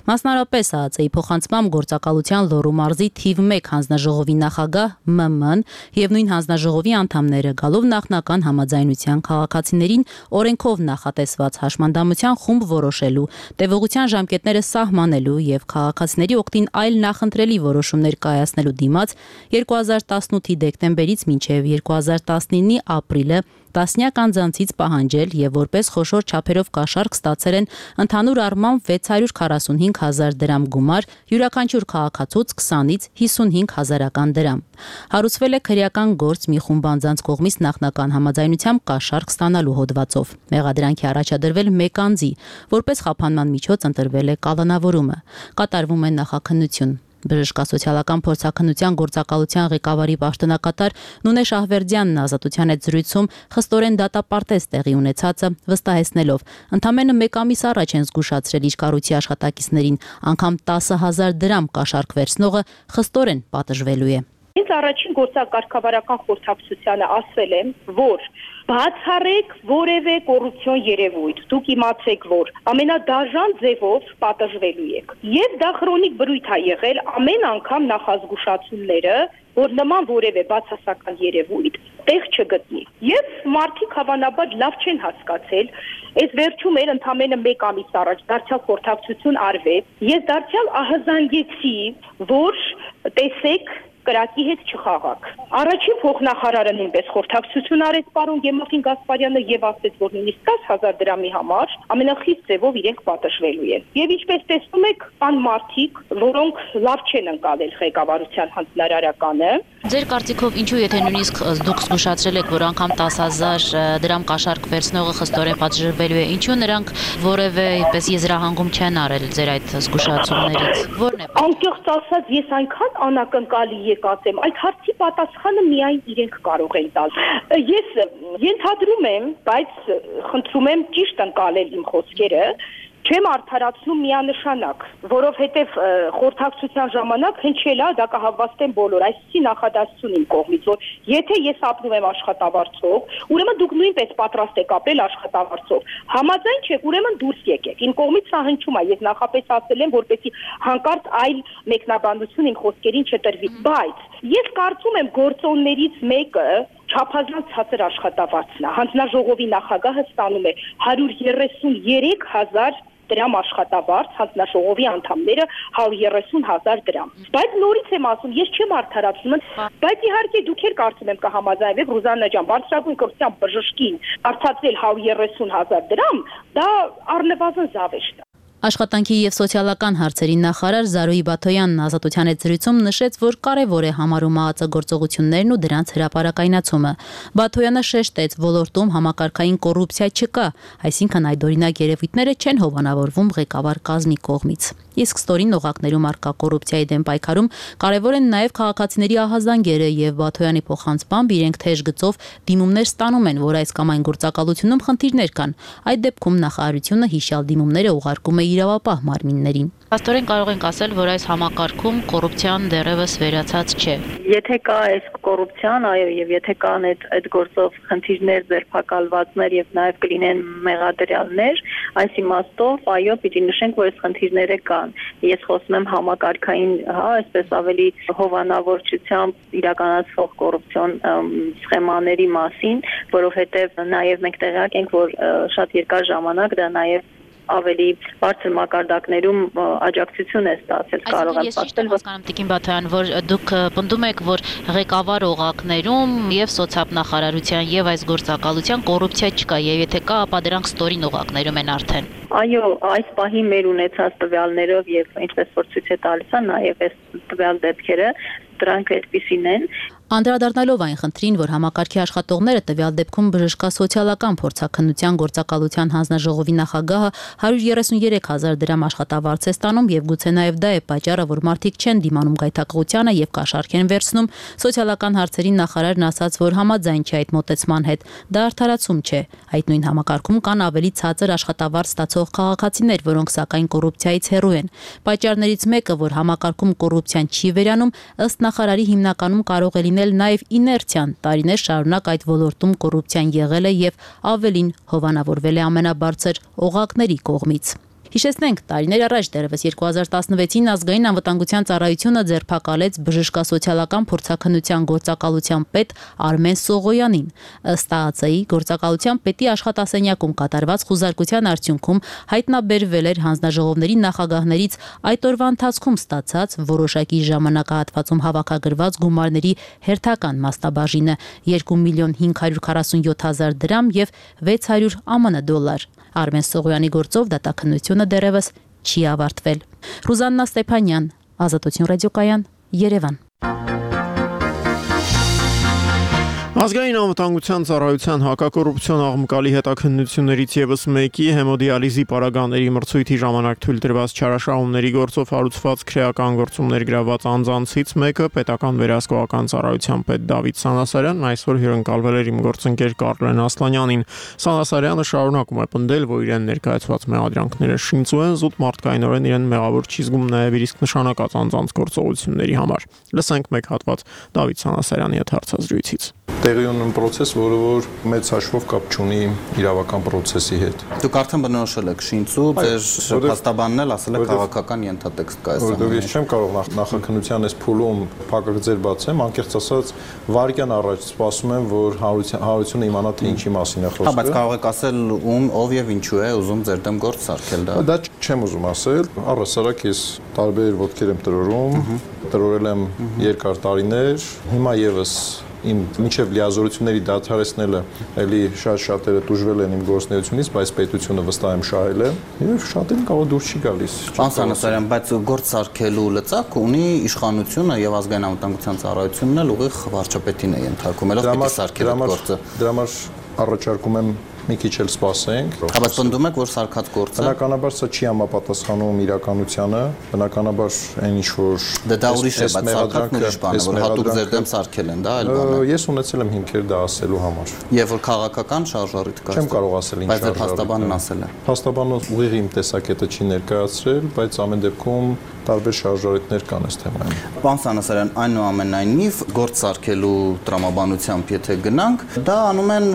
Մասնարարպես ԱԱԾ-ի փոխանցմամբ գործակալության Լոռու մարզի թիվ 1 հանձնաժողովի նախագահ ՄՄ-ն եւ նույն հանձնաժողովի անդամները գալով նախնական համաձայնության քաղաքացիներին օրենքով նախատեսված հաշմանդամության խումբ որոշելու, տևողության ժամկետները սահմանելու եւ քաղաքացիների օգտին այլ նախընտրելի որոշումներ կայացնելու դիմաց 2018-ի դեկտեմբերից մինչեւ 2019-ի ապրիլը տասնյակ անձանցից պահանջել եւ որպես խոշոր չափերով կաշառք ստացել են ընդհանուր առմամբ 645,000 դրամ գումար, յուրաքանչյուր քաղաքացուց 20-ից 55,000 դրամ։ Հարուցվել է քրեական գործ մի խումբ անձանց կողմից նախնական համաձայնությամբ կաշառք ստանալու հոդվածով։ Մեղադրանքի առաջադրվել 1 անձի, որպես խափանման միջոց ընտրվել է կալանավորումը։ Կատարվում է նախաքննություն։ Բժշկասոցիալական փորձաքննության գործակալության ղեկավարի պաշտոնակատար Նունե Շահվերդյանն ազատության հետ զրույցում խստորեն դատապարտեց տեղի ունեցածը, վստահեցնելով, ընդամենը 1 ամիս առաջ են զգուշացրել իր կառույցի աշխատակիցներին, անգամ 10,000 դրամ կաշառք վերցնողը խստորեն պատժվելու է։ Ինձ առաջին գործակարգավարական խորհրդակցությանը ասել եմ, որ բացառեք որևէ կոռուպցիոն երևույթ, դուք իմացեք, որ ամենադաժան ձևով պատժվելու եք։ Եվ դա քրոնիկ բրույթ է եղել ամեն անգամ նախազգուշացումները, որ նման որևէ բացասական երևույթ տեղ չգտնի։ Եվ մարդիկ հավանաբար լավ չեն հասկացել, այս վերջում էր ընդամենը 1 ամիս առաջ դարձյալ խորհրդակցություն արվեց, ես դարձյալ ահազանգեցի, որ տեսեք կրակի հետ չխաղաք։ Առաջին փոխնախարարը նույնպես խորհրդակցություն արեց պարոն Գեմախին Գասպարյանը եւ ասաց, որ նույնիսկ 10,000 դրամի համար ամենախիստ ձևով իրենք պատժվելու են։ Եվ ինչպես տեսնում եք, կան մարդիկ, որոնք լավ չեն ընկալել ղեկավարության հանձնարարականը։ Ձեր կարծիքով ինչու եթե նույնիսկ դուք զգուշացրել եք, որ անգամ 10,000 դրամ կաշառք վերցնողը խստորեն պատժվելու է, ինչու նրանք որևէ այդպես եզրահանգում չեն արել ձեր այդ զգուշացումներից։ Որն է։ Անկեղծ ասած, ես այնքան անակնկալի եկած եմ, այդ հարցի պատասխանը միայն իրենք կարող են տալ։ Ես ենթադրում եմ, բայց խնդրում եմ ճիշտ ընկալել իմ խոսքերը, չեմ արդարացնում միանշանակ, որովհետև խորհրդակցության ժամանակ հնչել է դա կհավաստեն բոլոր, այսպիսի նախադասություն իմ կողմից, որ եթե ես ապրում եմ աշխատավարձով, ուրեմն դուք նույնպես պատրաստ եք ապրել աշխատավարձով։ Համաձայն չեք, ուրեմն դուրս եկեք։ Իմ կողմից սա հնչում է, ես նախապես ասել եմ, որպեսզի հանկարծ այլ մեկնաբանություն իմ խոսքերին չտրվի, բայց ես կարծում եմ գործոններից մեկը չափազանց ցածր աշխատավարձն է։ Հանձնաժողովի նախագահը ստանում է 133,000 դրամ աշխատավարձ, հանձնաժողովի անդամները 130,000 դրամ։ Բայց նորից եմ ասում, ես չեմ արդարացնում, բայց իհարկե դուք էլ կարծում եմ կհամաձայնվեք Ռուզաննա ջան, բարձրագույն կրթության բժշկին արտացել 130,000 դրամ, դա առնվազն զավեշտ է։ Աշխատանքի եւ սոցիալական հարցերի նախարար Զարուհի Բաթոյանն Ազատության հետ զրույցում նշեց, որ կարևոր է համարում ԱԱԾ-գործողություններն ու դրանց հրապարակայնացումը։ Բաթոյանը շեշտեց, ոլորտում համակարգային կոռուպցիա չկա, այսինքն այդօրինակ երևույթները չեն հովանավորվում ղեկավար կազմի կողմից։ Իսկ ստորին օղակներում արկա կոռուպցիայի դեմ պայքարում կարևոր են նաև քաղաքացիների ահազանգերը եւ Բաթոյանի փոխանցմամբ իրենք թեժ գծով դիմումներ ստանում են, որ այս կամ այն գործակալությունում խնդիրներ կան։ Այդ դեպքում նախարարությունը հիշյալ դիմումները ուղարկում է իրավապահ մարմիններին։ Աստորեն կարող ենք ասել, որ այս համակարգում կոռուպցիան դեռևս վերացած չէ։ Եթե կա այս կոռուպցիան, այո, եւ եթե կան այդ գործով խնդիրներ, ձերբակալվածներ եւ նաեւ կլինեն մեղադրյալներ, այս իմաստով, այո, պիտի նշենք, որ այս խնդիրները կան։ Ես խոսում եմ համակարգային, այսպես ավելի հովանավորչությամբ իրականացվող կոռուպցիոն սխեմաների մասին, որովհետեւ նաեւ մենք տեղյակ ենք, որ շատ երկար ժամանակ դա նաեւ ավելի բարձր մակարդակներում աջակցություն է ստացել, կարող եմ ասել, որ Տիկին Բաթոյան, որ դուք պնդում եք, որ ղեկավար օղակներում եւ սոցիալնախարարության եւ այս գործակալության կոռուպցիա չկա, եւ եթե կա, ապա դրանք ստորին օղակներում են արդեն։ Այո, այս պահի մեր ունեցած տվյալներով եւ ինչպես որ ցույց է տալիս, նաեւ այս տվյալ դեպքերը դրանք այդպիսին են։ Անդրադառնալով այն խնդրին, որ համակարգի աշխատողները տվյալ դեպքում բժշկասոցիալական փորձաքննության գործակալության հանձնաժողովի նախագահը 133,000 դրամ աշխատավարձ է ստանում եւ գուցե նաեւ դա է պատճառը, որ մարդիկ չեն դիմանում գայթակղությանը եւ կաշառք են վերցնում, սոցիալական հարցերի նախարարն ասաց, որ համաձայն չէ այդ մոտեցման հետ։ Դա արդարացում չէ։ Այդ նույն համակարգում կան ավելի ցածր աշխատավարձ ստացող քաղաքացիներ, որոնք սակայն կոռուպցիայից հեռու են։ Պատճառներից մեկը, որ համակարգում կոռուպցիան չի վերանում, ըստ նախարարի հիմնականում կարող է լինել նաև իներցիան, տարիներ շարունակ այդ ոլորտում կոռուպցիան եղել է եւ ավելին հովանավորվել է ամենաբարձր օղակների կողմից։ Հիշեցնենք, տարիներ առաջ դեռևս 2016-ին ազգային անվտանգության ծառայությունը ձերբակալեց բժշկասոցիալական փորձաքննության գործակալության պետ Արմեն Սողոյանին։ Ըստ ԱԱԾ-ի գործակալության պետի աշխատասենյակում կատարված խուզարկության արդյունքում հայտնաբերվել էր հանձնաժողովների նախագահներից այդ օրվա ընթացքում ստացած որոշակի ժամանակահատվածում հավաքագրված գումարների հերթական մասնաբաժինը 2,547,000 դրամ եւ 600 ԱՄՆ դոլար։ Արմեն Սողոյանի գործով դատաքննությունը դեռևս չի ավարտվել։ Ռուզաննա Ստեփանյան, Ազատություն ռադիոկայան, Երևան։ Ազգային անվտանգության ծառայության հակակոռուպցիոն աղմկալի հետաքննություններից եւս մեկի հեմոդիալիզի պարագաների մրցույթի ժամանակ թույլ տրված չարաշահումների գործով հարուցված քրեական գործումներ գրաված անձանցից մեկը պետական վերահսկողական ծառայության պետ Դավիթ Սանասարյանն այսօր հյուրընկալվել էր իմ գործընկեր Կարլեն Ասլանյանին։ Սանասարյանը շարունակում է պնդել, որ իրեն ներկայացված մեղադրանքները շինծու են, զուտ մարդկայնորեն իրեն մեղավոր չի զգում նաեւ իր իսկ նշանակած անձանց գործողությունների համար։ Լսենք մեկ հատված Դավիթ Սանասարյանի հետ հարցազրույցից։ տեղի ունեն process, որը որ մեծ հաշվով կապ չունի իրավական process-ի հետ։ Դուք արդեն բնորոշել եք շինծու, ձեր փաստաբանն էլ ասել է քաղաքական ենթատեքստ կա այս ամենը։ Որովհետև ես չեմ կարող նախաքննության այս փուլում փակագծեր բացեմ, անկեղծ ասած վարկյան առաջ սպասում եմ, որ հանրությունը իմանա թե ինչի մասին է խոսքը։ Բայց կարող եք ասել ով եւ ինչու է ուզում ձեր դեմ գործ սարքել դա։ Դա չեմ ուզում ասել, առհասարակ ես տարբեր ոտքեր եմ տրորել եմ երկար տարիներ, հիմա եւս իմ միջև լիազորությունների դադարեցնելը էլի շատերը դժվել են իմ գործունեությունից, բայց պետությունը վստահ եմ շահել է եւ շատերին կարող դուրս չի գալիս։ Պարոն Սանասարյան, բայց գործ սարքելու լծակ ունի իշխանությունը եւ ազգային անվտանգության ծառայությունն էլ ուղիղ վարչապետին է ենթարկում, ելով պիտի սարքել այդ գործը։ Դրա համար առաջարկում եմ մի քիչ էլ սպասենք։ Բայց պնդում եք, որ սարքած գործը բնականաբար սա չի համապատասխանում իրականությանը, բնականաբար այն ինչ որ դա ուրիշ է, բայց սարքածն ուրիշ բան է, որ հատուկ ձեր դեմ սարքել են, դա այլ բան է։ Ես ունեցել եմ հիմքեր դա ասելու համար։ Եվ որ քաղաքական շարժառիթ կա։ Չեմ կարող ասել ինչ բայց փաստաբանն ասել է։ Փաստաբանը ուղիղ իմ տեսակետը չի ներկայացրել, բայց ամեն դեպքում տարբեր շարժառիթներ կան այս թեմայում։ Պարոն Սանասարյան, այնուամենայնիվ գործ սարքելու տրամաբանությամբ եթե գնանք, դա անում են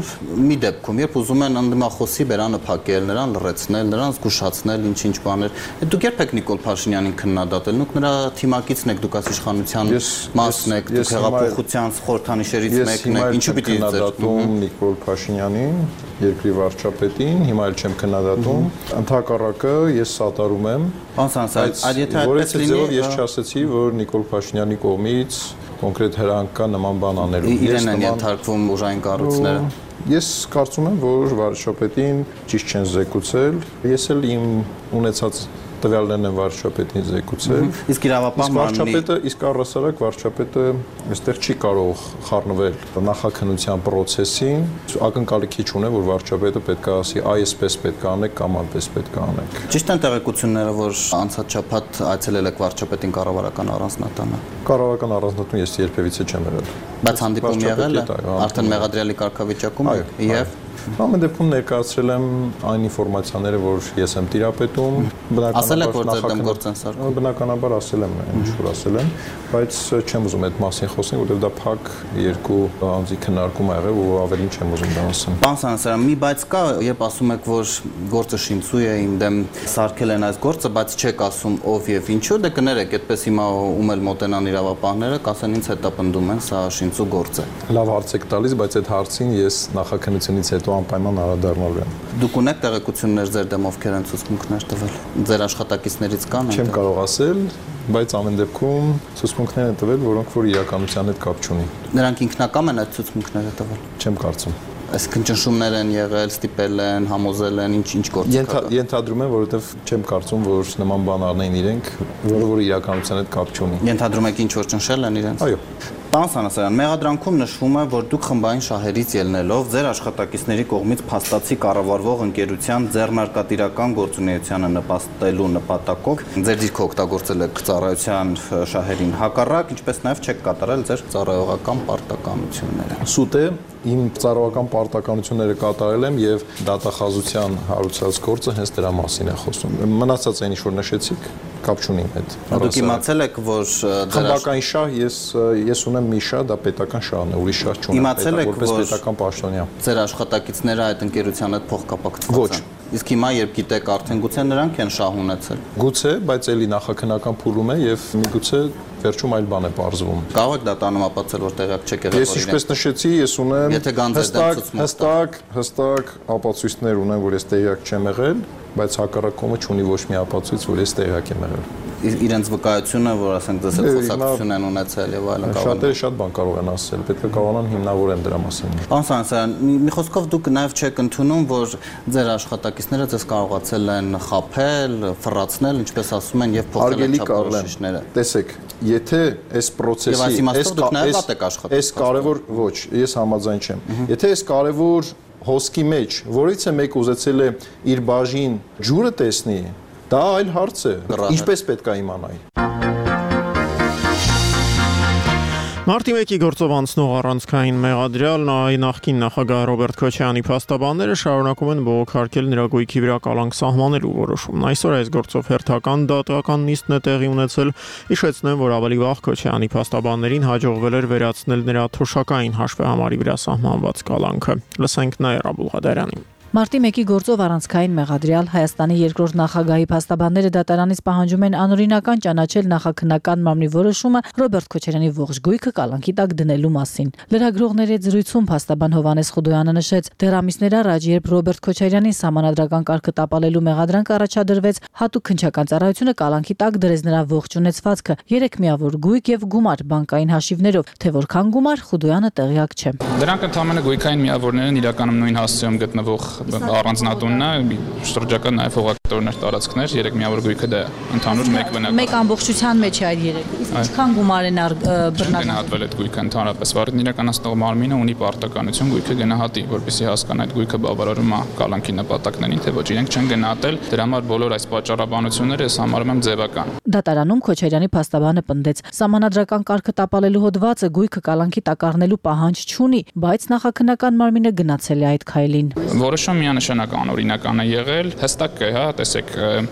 մի դեպքում, երբ ուզում են ընդդիմախոսի բերանը փակել, նրան լռեցնել, նրան զգուշացնել, ինչ-ինչ բաներ։ Դուք երբ եք Նիկոլ Փաշինյանին քննադատել, դուք նրա թիմակիցն եք, դուք իշխանության մասն եք, դուք հեղափոխության խորհրդանիշերից մեկն եք, ինչու պիտի քննադատում Նիկոլ Փաշինյանին, երկրի վարչապետին, հիմա էլ չեմ քննադատում, ընդհակառակը ես սատարում եմ։ Պարոն Սանասարյան, այդ եթե այդպես լինի, ես չասեցի, որ Նիկոլ Փաշինյանի կողմից կոնկրետ հրանք կա նման բան անելու։ Իրեն են ենթարկվում ուժային կառույցները։ Ես կարծում եմ, որ վարչապետին ճիշտ չեն զեկուցել։ Ես էլ իմ ունեցած տվյալներն են վարչապետին զեկուցել։ Իսկ իրավապահ իսկ առհասարակ վարչապետը այստեղ չի կարող խառնվել նախաքննության process-ին, ակնկալի քիչ ունե, որ վարչապետը պետք է ասի այսպես պետք է անեք կամ այնպես պետք է անեք։ Ճիշտ են տեղեկությունները, որ անցած շաբաթ այցելել եք վարչապետին կառավարական առանձնատանը։ Կառավարական առանձնատուն ես երբևիցե չեմ եղել։ Բայց հանդիպում եղել է, արդեն մեղադրյալի կարգավիճակում եք եւ ամեն դեպքում ներկայացրել եմ այն ինֆորմացիաները, որ ես եմ տիրապետում, ասել եք, որ ձեր դեմ գործ են սարքում։ Բնականաբար ասել եմ, ինչ որ ասել եմ, բայց չեմ ուզում այդ մասին խոսել, որովհետև դա փակ երկու անձի քննարկում ա եղել, ու ավելին չեմ ուզում դա ասեմ։ Պարոն Սանասարյան, մի բայց կա, երբ ասում եք, որ գործը շինծու է, իմ դեմ սարքել են այս գործը, բայց չեք ասում ով եւ ինչու, դե կներեք, այդպես հիմա ում էլ մոտենան իրավապահները, կասեն ինձ հետա պնդում են, սա շինծու գործ է։ Լավ հարց եք տալիս, բայց այդ հարցին ես նախաքննությունից հետո անպայման անդրադառնալու եմ։ Դուք ունեք տեղեկություններ ձեր դեմ ովքեր են ցուցմունքներ տվել։ Ձեր աշխատակիցներից կան։ Չեմ կարող ասել, բայց ամեն դեպքում ցուցմունքներ են տվել, որոնք որ իրականության հետ կապ չունի։ Նրանք ինքնակամ են այդ ցուցմունքները տվել։ Չեմ կարծում։ Այսինքն ճնշումներ են եղել, ստիպել են, համոզել են, ինչ գործ կա։ Ենթադրում եմ, որովհետև չեմ կարծում, որ նման բան առնեն իրենք, որը իրականության հետ կապ չունի։ Ենթադրում եք ինչ որ ճնշել են իրենց։ Այո։ Պարոն Սանասարյան, մեղադրանքում նշվում է, որ դուք խմբային շահերից ելնելով ձեր աշխատակիցների կողմից փաստացի կառավարվող ընկերության ձեռնարկատիրական գործունեությանը նպաստելու նպատակով ձեր դիրքը օգտագործել եք ծառայության շահերին հակառակ, ինչպես նաև չեք կատարել ձեր ծառայողական պարտականությունները։ Սուտ է, իմ ծառայողական պարտականությունները կատարել եմ եւ դատախազության հարուցած գործը հենց դրա մասին է խոսում։ Մնացած այն ինչ որ նշեցիք, կապ չունի այդ։ Դուք իմացել եք, որ խմբական շահ ես ունեմ մի շահ, դա պետական շահն է, ուրիշ շահ չունեմ։ Իմացել եք, որպես պետական պաշտոնյա։ Ձեր աշխատակիցները այդ ընկերության հետ փոխկապակցված են։ Իսկ հիմա երբ գիտեք արդեն գուցե նրանք են շահ ունեցել։ Գուցե, բայց էլի նախաքննական փուլում է եւ միգուցե վերջում այլ բան է պարզվում։ Կարող եք դատանում ապացուցել, որ տեղյակ չեք եղել։ Ես ինչպես նշեցի, ես ունեմ հստակ ապացույցներ ունեմ, որ ես տեղյակ չեմ եղել, բայց հակառակ կողմը չունի ոչ մի ապացույց, որ ես տեղյակ եմ եղել։ Իրենց վկայությունը, որ ասենք դες հետ խոսակցություն են ունեցել եւ այլն կարող։ Շատերը շատ բան կարող են ասել, պետք է կարողանան հիմնավորեն դրա մասին։ Պարոն Սանասարյան, մի խոսքով դուք նաեւ չեք ընդունում, որ ձեր աշխատակիցները ձեզ կարողացել են խաբել, ֆռացնել, ինչպես ասում են, եւ փոխել են չափորոշիչները։ Տեսեք, եթե այս process-ի այս կարևոր ոչ, ես համաձայն չեմ։ Եթե այս կարևոր հոսքի մեջ որից է մեկ ուզեցել է իր բաժին ջուրը տեսնի, դա այլ հարց է։ Ինչպես պետք է իմանայի։ Մարտի 1-ի գործով անցնող առանցքային մեղադրյալ նախկին նախագահ Ռոբերտ Քոչարյանի փաստաբանները շարունակում են բողոքարկել նրա գույքի վրա կալանք սահմանելու որոշումն։ Այսօր այս գործով հերթական դատական նիստն է տեղի ունեցել։ Հիշեցնեմ, որ ավելի վաղ Քոչարյանի փաստաբաններին հաջողվել էր վերացնել նրա թոշակային հաշվեհամարի վրա սահմանված կալանքը։ Լսենք Նաիրա Բուլղադարյանին։ Մարտի 1-ի գործով առանցքային մեղադրյալ Հայաստանի երկրորդ նախագահի փաստաբանները դատարանից պահանջում են անօրինական ճանաչել նախաքննական մարմնի որոշումը Ռոբերտ Քոչարյանի ողջ գույքը կալանքի տակ դնելու մասին։ Լրագրողների հետ զրույցում փաստաբան Հովհաննես Խուդոյանը նշեց, դեռ ամիսներ առաջ, երբ Ռոբերտ Քոչարյանին սահմանադրական կարգը տապալելու մեղադրանք առաջադրվեց, հատուկ քննչական ծառայությունը կալանքի տակ դրեց նրա ողջ ունեցվածքը՝ 3 միավոր գույք եւ գումար բանկային հաշիվներով, թե որքան գումար Խուդոյանը տեղյակ չէ։ Դրանք ընդհանրապես գույքային միավորներ են, իրականում նույն հասցեում գտնվող առանձնատունն է, շրջակա նաև հողակտորներ, տարածքներ, 3 միավոր գույքը դա ընդհանուր մեկ բնակ։ Մեկ ամբողջության մեջ է այդ 3։ Իսկ ինչքան գումար են բռնական գնահատվել այդ գույքը ընդհանրապես։ Վարույթն իրականացնող մարմինը ունի պարտականություն գույքը գնահատի, որպեսզի հասկանա այդ գույքը բավարարում է կալանքի նպատակներին, թե ոչ, իրենք չեն գնահատել, դրա համար բոլոր այս պատճառաբանությունները ես համարում եմ ձևական։ Դատարանում Քոչարյանի փաստաբանը պնդեց, սահմանադրական կարգը տապալելու հոդվածը գույքը կալանքի տակ առնելու պահանջ չունի, բայց նախաքննական մարմինը գնացել է այդ քայլին։ Որոշում միանշանակ անօրինական է եղել, հստակ է, հա, տեսեք,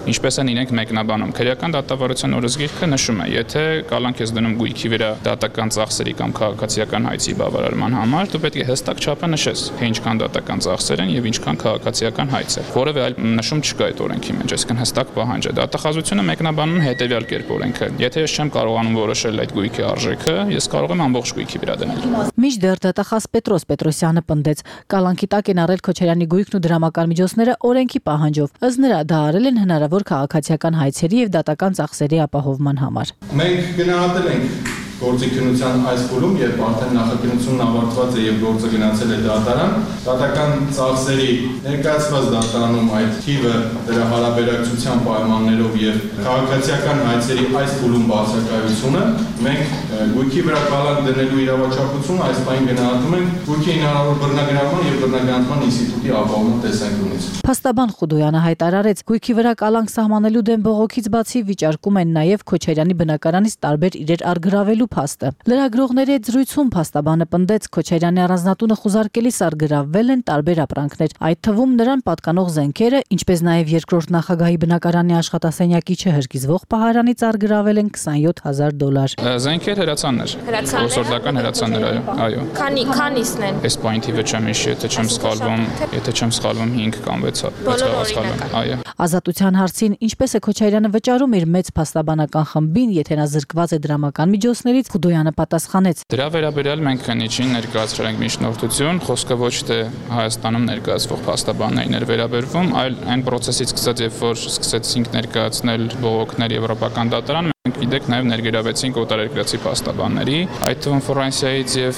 ինչպես են իրենք մեկնաբանում։ Քրեական դատավարության օրենսգիրքը նշում է, եթե կալանք ես դնում գույքի վրա դատական ծախսերի կամ քաղաքացիական հայցի բավարարման համար, դու պետք է հստակ չափը նշես, թե ինչքան դատական ծախսեր են եւ ինչքան քաղաքացիական հայց է։ Որևէ այլ նշում չկա այդ օրենքի մեջ, այսինքն հստակ պահանջ է։ Դատախազությունը մեկնաբանում է հետեւյալ կերպ օրենքը։ Եթե ես չեմ կարողանում որոշել այդ գույքի արժեքը, ես կարող եմ ամբողջ գույքի վրա դնել։ Մինչդեռ դատախազ Պետրոս Պետրոսյանը պնդեց, կալանքի տակ են առել Քոչարյանի գույքն ու դրամական միջոցները օրենքի պահանջով, ըստ նրա դա արել են հնարավոր քաղաքացիական հայցերի եւ դատական ծախսերի ապահովման համար։ Մենք գնահատել ենք գործի քննության այս փուլում, երբ արդեն նախաքննությունն ավարտված է եւ գործը գնացել է դատարան, դատական ծախսերի ներկայացված դատարանում այդ թիվը դրա հարաբերակցության պայմաններով եւ քաղաքացիական հայցերի այս փուլում բացակայությունը մենք գույքի վրա կալանք դնելու իրավաչափությունը այս պայն գնահատում ենք գույքի հնարավոր բռնագրավման եւ բռնագրանցման ինստիտուտի ապահովման տեսանկյունից։ Փաստաբան Խուդոյանը հայտարարեց, գույքի վրա կալանք սահմանելու դեմ բողոքից բացի վիճարկում են նաեւ Քոչարյանի բնակարանից տարբեր իրեր արգրավելու փաստը։ Լրագրողների հետ զրույցում փաստաբանը պնդեց, Քոչարյանի առանձնատունը խուզարկելիս արգրավվել են տարբեր ապրանքներ, այդ թվում նրան պատկանող զենքերը, ինչպես նաեւ երկրորդ նախագահի բնակարանի աշխատասենյակի չհրկիզվող պահարանից արգրավել են $20,000։ Զենքեր հրացաններ։ Որսորդական հրացաններ, այո։ Քանիսն են։ Այս պոինտի վրա չեմ հիշի, եթե չեմ սխալվում 5 կամ 6, այո։ Ազատության հարցին ինչպես է Քոչարյանը վճարում իր մեծ փաստաբանական խմբին, եթե նա զրկված է դրամական միջոցներից, Խուդոյանը պատասխանեց. Դրա վերաբերյալ մենք քննիչին ներկայացրել ենք միջնորդություն, խոսքը ոչ թե Հայաստանում ներկայացվող փաստաբաններին էր վերաբերվում, այլ այն process-ից սկսած, երբ որ սկսեցինք ներկայացնել բողոքներ եվրոպական դատարան, մենք գիտեք նաև ներգրավեցինք օտարերկրացի փաստաբանների, այդ թվում Ֆրանսիայից եւ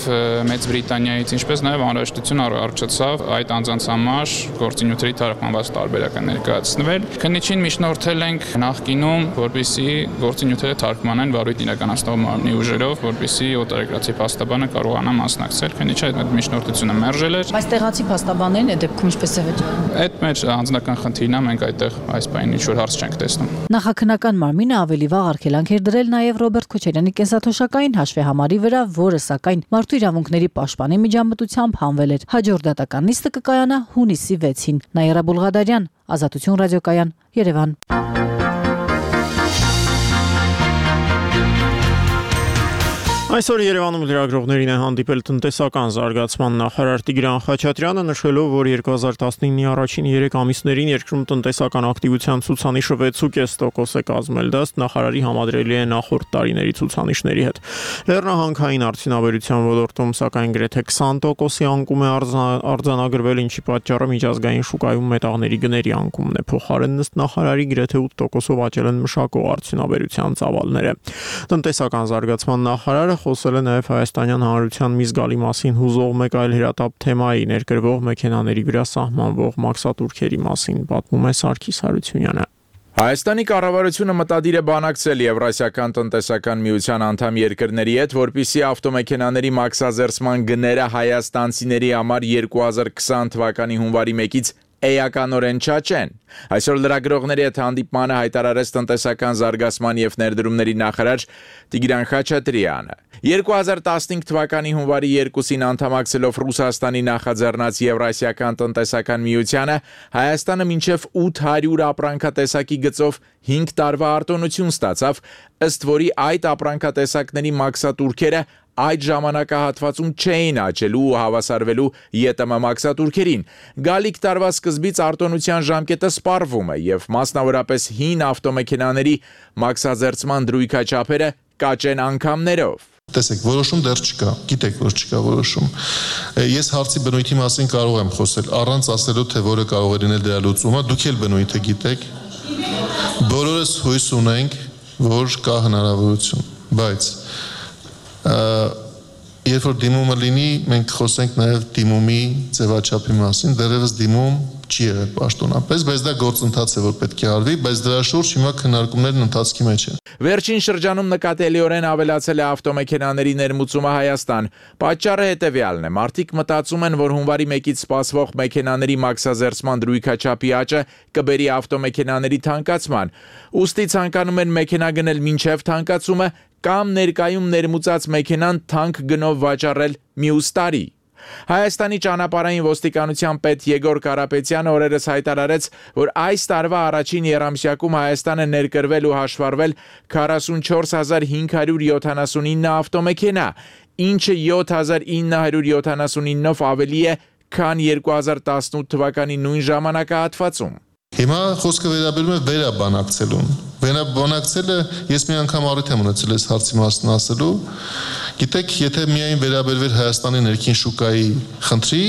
Մեծ Բրիտանիայից, ինչպես նաև անհրաժեշտություն առաջացավ այդ անձանց համար գործինյութերի թարգմանված տարբերակը ներկայացնել։ Քննիչին միջնորդել ենք նախկինում, որպեսզի գործինյութերը թարգմանեն վարույթ իրականացնող մարմնի ուժերով, որպեսզի օտարերկրացի փաստաբանը կարողանա մասնակցել։ Քննիչը այդ միջնորդությունը մերժել էր։ Բայց տեղացի փաստաբաններն այդ դեպքում ինչպես է վճարում։ Այդ մեր անձնական խնդիրն է, մենք այդտեղ այս բանին ինչ-որ հարց չենք տեսնում։ Նախաքննական մարմինը ավելի վաղ արգելանք էր դրել նաև Ռոբերտ Քոչարյանի կենսաթոշակային հաշվեհամարի վրա, որը սակայն մարդու իրավունքների պաշտպանի միջամտությամբ հանվել էր։ Հաջորդ դատական նիստը կկայանա հունիսի 6-ին։ Նաիրա Բուլղադարյան, Ազատություն ռադիոկայան, Երևան։ Այսօր Երևանում լրագրողներին է հանդիպել տնտեսական զարգացման նախարար Տիգրան Խաչատրյանը, նշելով, որ 2019-ի առաջին 3 ամիսներին երկրում տնտեսական ակտիվության ցուցանիշը 6.5% է կազմել, դա նախարարի համադրելի է նախորդ տարիների ցուցանիշների հետ։ Լեռնահանքային արդյունաբերության ոլորտում սակայն գրեթե 20%-ի անկում է արձանագրվել, ինչի պատճառը միջազգային շուկայում մետաղների գների անկումն է։ Փոխարեն ըստ նախարարի գրեթե 8%-ով աճել են մշակող արդյունաբերության ծավալները։ Տնտեսական զարգացման նախարարը խոսել է նաև Հայաստանյան Հանրության մի զգալի մասին հուզող մեկ այլ հրատապ թեմայի ներկրվող մեքենաների վրա սահմանվող մաքսատուրքերի մասին, պատմում է Սարգիս Հարությունյանը։ Հայաստանի կառավարությունը մտադիր է բանակցել Եվրասիական տնտեսական միության անդամ երկրների հետ, որպեսզի ավտոմեքենաների մաքսազերծման գները հայաստանցիների համար 2020 թվականի հունվարի 1-ից էականորեն չաճեն։ Այսօր լրագրողների հետ հանդիպմանը հայտարարեց տնտեսական զարգացման եւ ներդրումների նախարար Տիգրան Խաչատրյանը։ 2015 թվականի հունվարի 2-ին անդամակցելով Ռուսաստանի նախաձեռնած Եվրասիական տնտեսական միությանը, Հայաստանը մինչև 800 ապրանքատեսակի գծով 5 տարվա արտոնություն ստացավ, ըստ որի այդ ապրանքատեսակների մաքսատուրքերը այդ ժամանակահատվածում չէին աճելու ու հավասարվելու ԵՏՄ մաքսատուրքերին։ Գալիք տարվա սկզբից արտոնության ժամկետը սպառվում է եւ մասնավորապես հին ավտոմեքենաների մաքսաձերծման դրույքաչափերը կաճեն անգամներով։ Տեսեք, որոշում դեռ չկա, գիտեք, որ չկա որոշում։ Ես հարցի բնույթի մասին կարող եմ խոսել, առանց ասելու, թե որը կարող է լինել դրա լուծումը, դուք էլ բնույթը գիտեք։ Բոլորս հույս ունենք, որ կա հնարավորություն, բայց երբ որ դիմումը լինի, մենք խոսենք նաև դիմումի ձևաչափի մասին, դեռևս դիմում չի եղել պաշտոնապես, բայց դա գործընթաց է, որ պետք է արվի, բայց դրա շուրջ հիմա քննարկումներն ընթացքի մեջ են։ Վերջին շրջանում նկատելիորեն ավելացել է ավտոմեքենաների ներմուծումը Հայաստան։ Պատճառը հետևյալն է. մարդիկ մտածում են, որ հունվարի 1-ից սպասվող մեքենաների մաքսաձերծման դրույքաչափի աճը կբերի ավտոմեքենաների թանկացման։ Ուստի ցանկանում են մեքենա գնել մինչև թանկացումը կամ ներկայում ներմուծած մեքենան թանկ գնով վաճառել մյուս տարի։ Հայաստանի ճանապարհային ոստիկանության պետ Եգոր Կարապետյանը օրերս հայտարարեց, որ այս տարվա առաջին եռամսյակում Հայաստանը ներկրվել ու հաշվառվել 44579 ավտոմեքենա, ինչը 7979-ով ավելի է, քան 2018 թվականի նույն ժամանակահատվածում։ Հիմա խոսքը վերաբերում է վերաբանակցելուն։ Վերաբանակցելը ես մի անգամ առիթ եմ ունեցել այս հարցի մասին ասելու։ Գիտեք, եթե միայն վերաբերվեր Հայաստանի ներքին շուկայի խնդրի,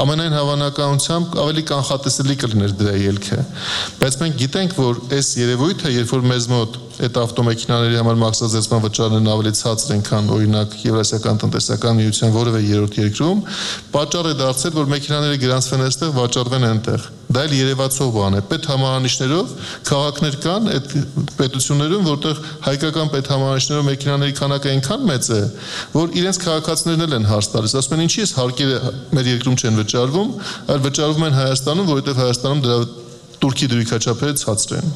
ամենայն հավանականությամբ ավելի կանխատեսելի կլիներ դրա ելքը։ Բայց մենք գիտենք, որ այս երևույթը, երբ որ մեզ մոտ այդ ավտոմեքենաների համար մաքսաձերծման վճարներն ավելի ցածր են, քան օրինակ Եվրասիական տնտեսական միության որևէ երրորդ երկրում, պատճառ է դարձել, որ մեքենաները գրանցվեն այստեղ, վաճառվեն այնտեղ։ Դա էլ երևացող բան է։ Պետհամարանիշներով քաղաքներ կան այդ պետություններում, որտեղ հայկական պետհամարանիշներով մեքենաների քանակը այնքան մեծ է, որ իրենց քաղաքացիներն էլ են հարց տալիս։ Ասում են, ինչի՞ էս հարկերը մեր երկրում չեն վճարվում, այլ վճարվում են Հայաստանում, որովհետև Հայաստանում դրա турքի դրույքաչափերը ցածր են։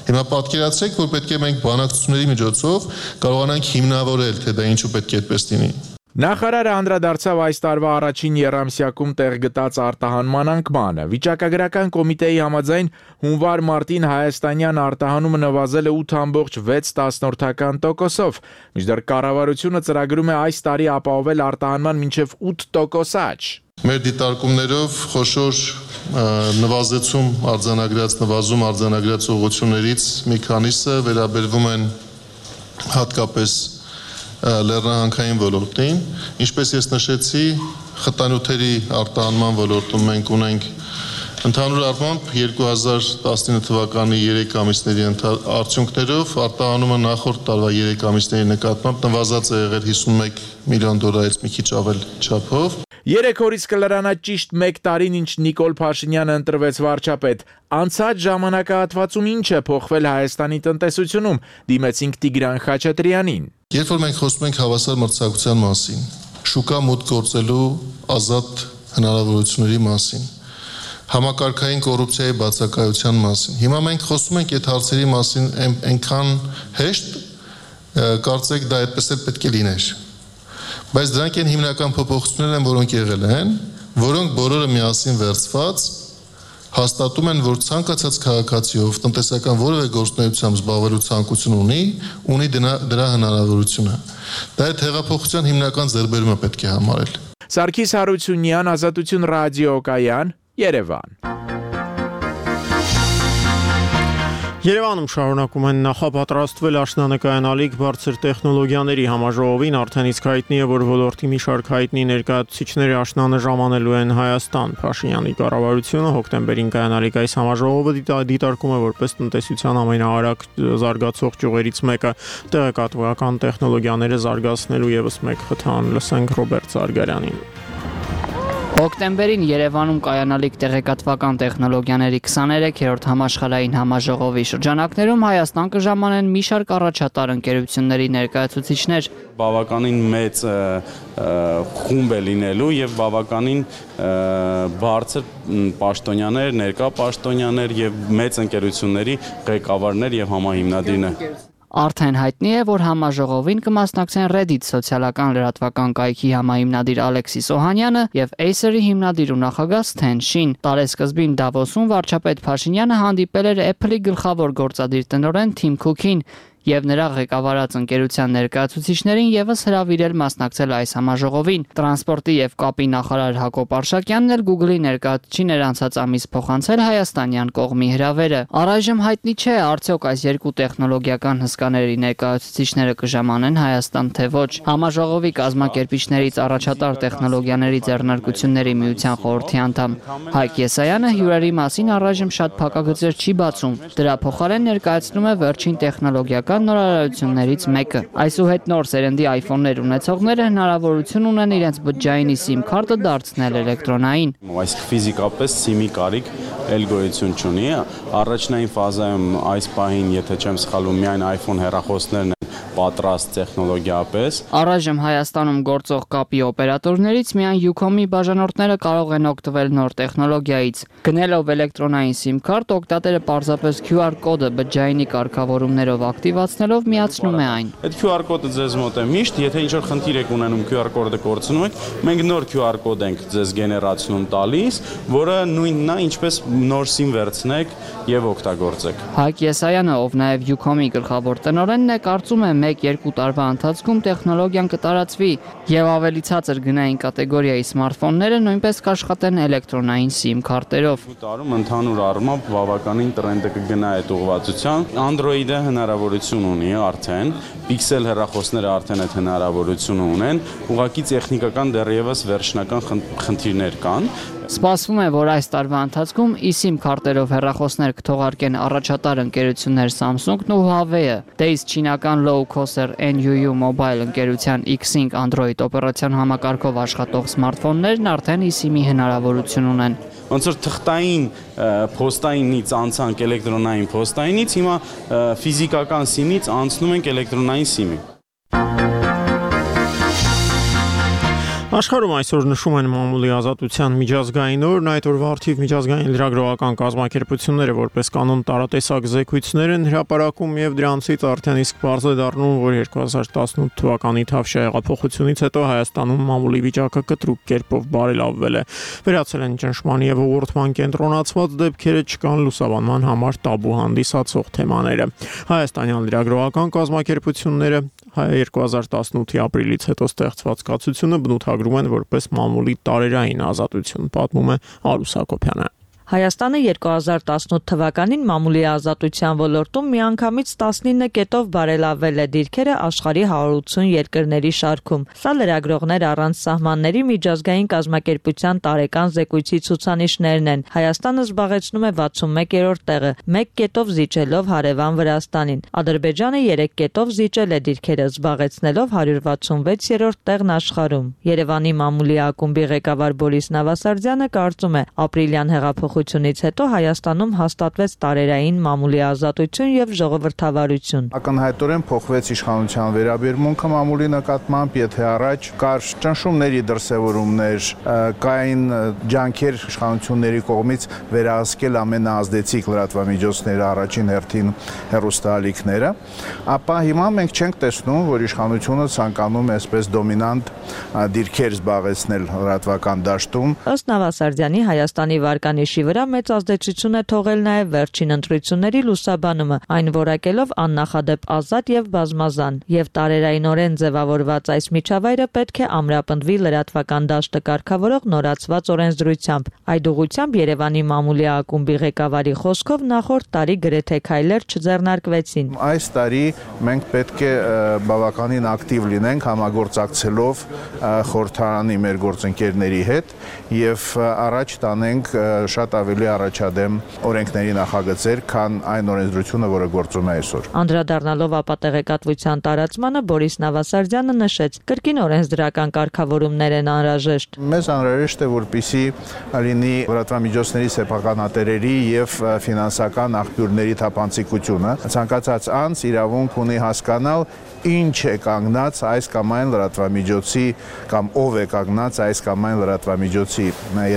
Հիմա պատկերացրեք, որ պետք է մենք բանակցությունների միջոցով կարողանանք հիմնավորել, թե դա ինչու պետք է այդպես լինի։ Նախարարը անդրադարձավ այս տարվա առաջին եռամսյակում տեղ գտած արտահանման անկմանը։ Վիճակագրական կոմիտեի համաձայն հունվար-մարտին հայաստանյան արտահանումը նվազել է 8.6%-ով, մինչդեռ կառավարությունը ծրագրում է այս տարի ապահովել արտահանման մինչև 8% աճ։ Մեր դիտարկումներով խոշոր նվազեցում արձանագրած ուղղություններից մի քանիսը վերաբերվում են հատկապես լեռնահանքային ոլորտին, ինչպես ես նշեցի, խտանյութերի արտահանման ոլորտում մենք ունենք ընդհանուր առմամբ 2019 թվականի 3 ամիսների արդյունքներով արտահանումը նախորդ տարվա 3 ամիսների նկատմամբ նվազած է եղել $51 միլիոն մի քիչ ավել չափով։ 3 օրից կլրանա ճիշտ 1 տարին, ինչ Նիկոլ Փաշինյանը ընտրվեց վարչապետ։ Անցած ժամանակահատվածում ինչ է փոխվել Հայաստանի տնտեսությունում, դիմեցինք Տիգրան Խաչատրյանին։ Երբ որ մենք խոսում ենք հավասար մրցակցության մասին, շուկա մուտք գործելու ազատ հնարավորությունների մասին, համակարգային կոռուպցիայի բացակայության մասին, հիմա մենք խոսում ենք այդ հարցերի մասին այնքան հեշտ, կարծեք դա այդպես էլ պետք է լիներ։ Բայց դրանք են հիմնական փոփոխություններն են, որոնք եղել են, որոնք բոլորը միասին վերցված հաստատում են, որ ցանկացած քաղաքացիով տնտեսական որևէ գործունեությամբ զբաղվելու ցանկություն ունի դրա հնարավորությունը։ Դա այդ հեղափոխության հիմնական ձեռքբերումը պետք է համարել։ Սարգիս Հարությունյան, Ազատություն ռադիոկայան, Երևան։ Երևանում շարունակում են նախապատրաստվել աշնանկայանալիք բարձր տեխնոլոգիաների համաժողովին, արդեն իսկ հայտնի է, որ ոլորտի մի շարք հայտնի ներկայացուցիչների աշնանը ժամանելու են Հայաստան։ Փաշինյանի կառավարությունը հոկտեմբերին կայանալիք այս համաժողովը դիտարկում է որպես տնտեսության ամենաարագ զարգացող ճյուղերից մեկը, տեղեկատվական տեխնոլոգիաները զարգացնելու ևս մեկ խթան։ Լսենք Ռոբերտ Զարգարյանին։ Հոկտեմբերին Երևանում կայանալիք տեղեկատվական տեխնոլոգիաների 23-րդ համաշխարհային համաժողովի շրջանակներում Հայաստան կժամանեն մի շարք առաջատար ընկերությունների ներկայացուցիչներ։ Բավականին մեծ խումբ է լինելու եւ բավականին բարձր պաշտոնյաներ, ներկա պաշտոնյաներ եւ մեծ ընկերությունների ղեկավարներ եւ համահիմնադիրներ։ Արդեն հայտնի է, որ համաժողովին կմասնակցեն Reddit սոցիալական լրատվական կայքի համահիմնադիր Ալեքսիս Օհանյանը եւ Acer-ի հիմնադիր ու նախագահ Սթեն Շին։ Տարեսկզբին Դավոսում վարչապետ Փաշինյանը հանդիպել էր Apple-ի գլխավոր գործադիր տնօրեն Թիմ Քուքին եւ նրա ղեկավարած ընկերության ներկայացուցիչներին եւս հրավիրել մասնակցել այս համաժողովին։ Տրանսպորտի եւ կապի նախարար Հակոբ Արշակյանն էլ Google-ի ներկայացուցիչին էր անցած ամիս փոխանցել հայաստանյան կողմի հրավերը։ Առայժմ հայտնի չէ, արդյոք այս երկու տեխնոլոգիական հսկաների ներկայացուցիչները կժամանեն Հայաստան թե ոչ։ Համաժողովի կազմակերպիչներից առաջատար տեխնոլոգիաների ձեռնարկությունների միության խորհրդի անդամ Հայկ Եսայանը հյուրերի մասին առայժմ շատ փակագծեր չի բացում։ Դրա փոխարեն ներկայացնում է վերջին տեխնոլոգիական նորարարություններից մեկը։ Այսուհետ նոր սերնդի iPhone-ներ ունեցողները հնարավորություն ունեն իրենց բջջային SIM քարտը դարձնել էլեկտրոնային։ Այսինքն ֆիզիկապես SIM-ի կարիք էլ գոյություն չունի։ Առաջնային ֆազայում այս պահին, եթե չեմ սխալվում, միայն iPhone հեռախոսներն պատրաստ տեխնոլոգիապես։ Առայժմ Հայաստանում գործող կապի օպերատորներից միայն Ucom-ի բաժանորդները կարող են օգտվել նոր տեխնոլոգիայից։ Գնելով էլեկտրոնային SIM քարտ, օգտատերը պարզապես QR կոդը բջջայինի կարգավորումներով ակտիվացնելով միացնում է այն։ Այդ QR կոդը ձեզ մոտ է միշտ, եթե ինչ-որ խնդիր եք ունենում QR կոդը կորցնում եք, մենք նոր QR կոդ ենք ձեզ գեներացնում տալիս, որը նույնն է, ինչպես նոր SIM վերցնեք եւ օգտագործեք։ Հայկ Եսայանը, ով նաեւ Ucom-ի գլխավոր տնօրենն է, կարծում է 1-2 տարվա ընթացքում տեխնոլոգիան կտարածվի եւ ավելի ցածր գնային կատեգորիայի սմարթֆոնները նույնպես կաշխատեն էլեկտրոնային SIM քարտերով։ Տարում ընդհանուր առմամբ բավականին տրենդը կգնա այդ ուղղվածությամբ։ Android-ը հնարավորություն ունի արդեն, Pixel հեռախոսները արդեն այդ հնարավորությունը ունեն, ուղղակի տեխնիկական դեռևս վերջնական խնդիրներ կան։ Սպասվում է, որ այս տարվա ընթացքում eSIM քարտերով հեռախոսներ կթողարկեն առաջատար ընկերություններ Samsung-ն ու Huawei-ը։ Դե իսկ չինական low-cost NUU Mobile ընկերության Xing Android օպերացիոն համակարգով աշխատող սմարթֆոններն արդեն eSIM-ի հնարավորություն ունեն։ Ոնց որ թղթային փոստայինից անցանք էլեկտրոնային փոստայինից, հիմա ֆիզիկական SIM-ից անցնում ենք էլեկտրոնային SIM-ի։ Աշխարհում այսօր նշում են մամուլի ազատության միջազգային օրն, այդ օրվա արդիվ միջազգային լրագրողական կազմակերպությունները որպես կանոն տարատեսակ զեկույցներ են հրապարակում եւ դրանցից արդեն իսկ բարձր է դառնում, որ 2018 թվականի Թավշյա հեղափոխությունից հետո Հայաստանում մամուլի վիճակը կտրուկ կերպով բարելավվել է։ Վերացել են ճնշման եւ ուղղորդման կենտրոնացված դեպքերը, չկան լուսաբանման համար տաբու հանդիսացող թեմաները։ Հայաստանյան լրագրողական կազմակերպությունները 2018-ի ապրիլից հետո ստեղծված կացությունը բնութագրում են որպես մամուլի տարերային ազատություն, պատմում է Արուս Հակոբյանը։ Հայաստանը 2018 թվականին մամուլի ազատության ոլորտում միանգամից 19 կետով բարելավվել է դիրքերը աշխարհի 180 երկրների շարքում։ Սա լրագրողներ առանց սահմանների միջազգային կազմակերպության տարեկան զեկույցի ցուցանիշներն են։ Հայաստանը զբաղեցնում է 61-րդ տեղը, 1 կետով զիջելով հարևան Վրաստանին։ Ադրբեջանը 3 կետով զիջել է դիրքերը, զբաղեցնելով 166-րդ տեղն աշխարհում։ Երևանի մամուլի ակումբի ղեկավար Բորիս Նավասարդյանը կարծում է, ապրիլյան հեղափոխությունից հետո Հայաստանում հաստատվեց տարերային մամուլի ազատություն եւ ժողովրդավարություն։ Ակնհայտորեն փոխվեց իշխանության վերաբերմունքը մամուլի նկատմամբ, եթե առաջ կար ճնշումների դրսևորումներ, կային ջանքեր իշխանությունների կողմից վերահսկել ամենաազդեցիկ լրատվամիջոցները, առաջին հերթին հեռուստաալիքները, ապա հիմա մենք չենք տեսնում, որ իշխանությունը ցանկանում է այսպես դոմինանտ դիրքեր զբաղեցնել լրատվական դաշտում։ Ըստ Նավասարդյանի, Հայաստանի վարկանիշի վրա մեծ ազդեցություն է թողել նաև վերջին ընտրությունների լուսաբանումը, այն որակելով աննախադեպ ազատ եւ բազմազան, եւ տարերայնորեն ձևավորված այս միջավայրը պետք է ամրապնդվի լրատվական դաշտը կարգավորող նորացված օրենսդրությամբ։ Այդ ուղղությամբ Երևանի մամուլի ակումբի ղեկավարի խոսքով նախորդ տարի գրեթե քայլեր չձեռնարկվեցին։ Այս տարի մենք պետք է բավականին ակտիվ լինենք համագործակցելով խորհրդարանի մեր գործընկերների հետ եւ առաջ տանենք շատ ավելի առաջադեմ օրենքների նախագծեր, քան այն օրենսդրությունը, որը գործում է այսօր։ Անդրադառնալով ապատեղեկատվության տարածմանը Բորիս Նավասարդյանը նշեց, կրկին օրենսդրական կարգավորումներ են անհրաժեշտ։ Մեզ անհրաժեշտ է, որպեսզի լինի լրատվամիջոցների սեփականատերերի եւ ֆինանսական աղբյուրների թափանցիկությունը։ Ցանկացած անձ իրավունք ունի հասկանալ, ինչ է կանգնած այս կամ այն լրատվամիջոցի կամ ով է կանգնած այս կամ այն լրատվամիջոցի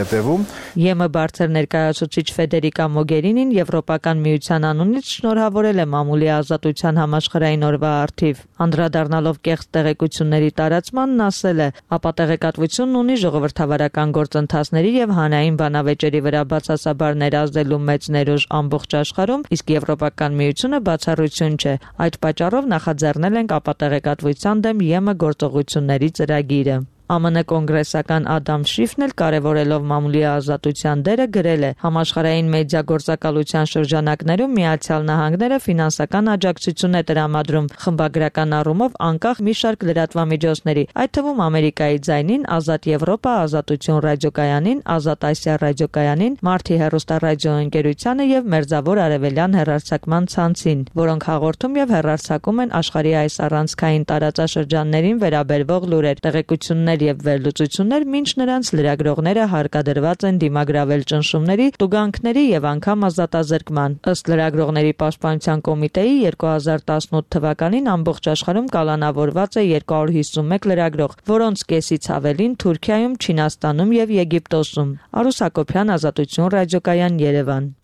ետևում։ ԵՄ բարձր ներկայացուցիչ Ֆեդերիկա Մոգերինին Եվրոպական միության անունից շնորհավորել է մամուլի ազատության համաշխարհային օրվա առթիվ։ Անդրադառնալով կեղծ տեղեկությունների տարածմանն ասել է, ապատեղեկատվությունն ունի ժողովրդավարական գործընթացների եւ հանրային բանավեճերի վրա բացասաբար ներազդելու մեծ ներուժ ամբողջ աշխարհում, իսկ Եվրոպական միությունը բացառություն չէ։ Այդ պատճառով նախաձեռնել ենք ապատեղեկատվության դեմ ԵՄ գործողությունների ծրագիրը։ ԱՄՆ կոնգրեսական Ադամ Շիֆն էլ կարևորելով մամուլի ազատության դերը գրել է. համաշխարհային մեդիա գործակալության շրջանակներում Միացյալ Նահանգները ֆինանսական աջակցություն է տրամադրում խմբագրական առումով անկախ մի շարք լրատվամիջոցների, այդ թվում Ամերիկայի ձայնին, Ազատ Եվրոպա, Ազատություն ռադիոկայանին, Ազատ Ասիա ռադիոկայանին, Մարտի հեռուստառադիոընկերությանը եւ Մերձավոր Արևելյան հեռարձակման ցանցին, որոնք հաղորդում եւ հեռարձակում են աշխարհի այս առանցքային տարածաշրջաններին վերաբերվող լուրեր, տեղեկություններ եւ վերլուծություններ, մինչ նրանց լրագրողները հարկադրված են դիմագրավել ճնշումների, տուգանքների եւ անգամ ազատազրկման։ Ըստ լրագրողների պաշտպանության կոմիտեի 2018 թվականին ամբողջ աշխարհում կալանավորված է 251 լրագրող, որոնց կեսից ավելին Թուրքիայում, Չինաստանում եւ Եգիպտոսում։ Արուս Հակոբյան, Ազատություն ռադիոկայան, Երևան։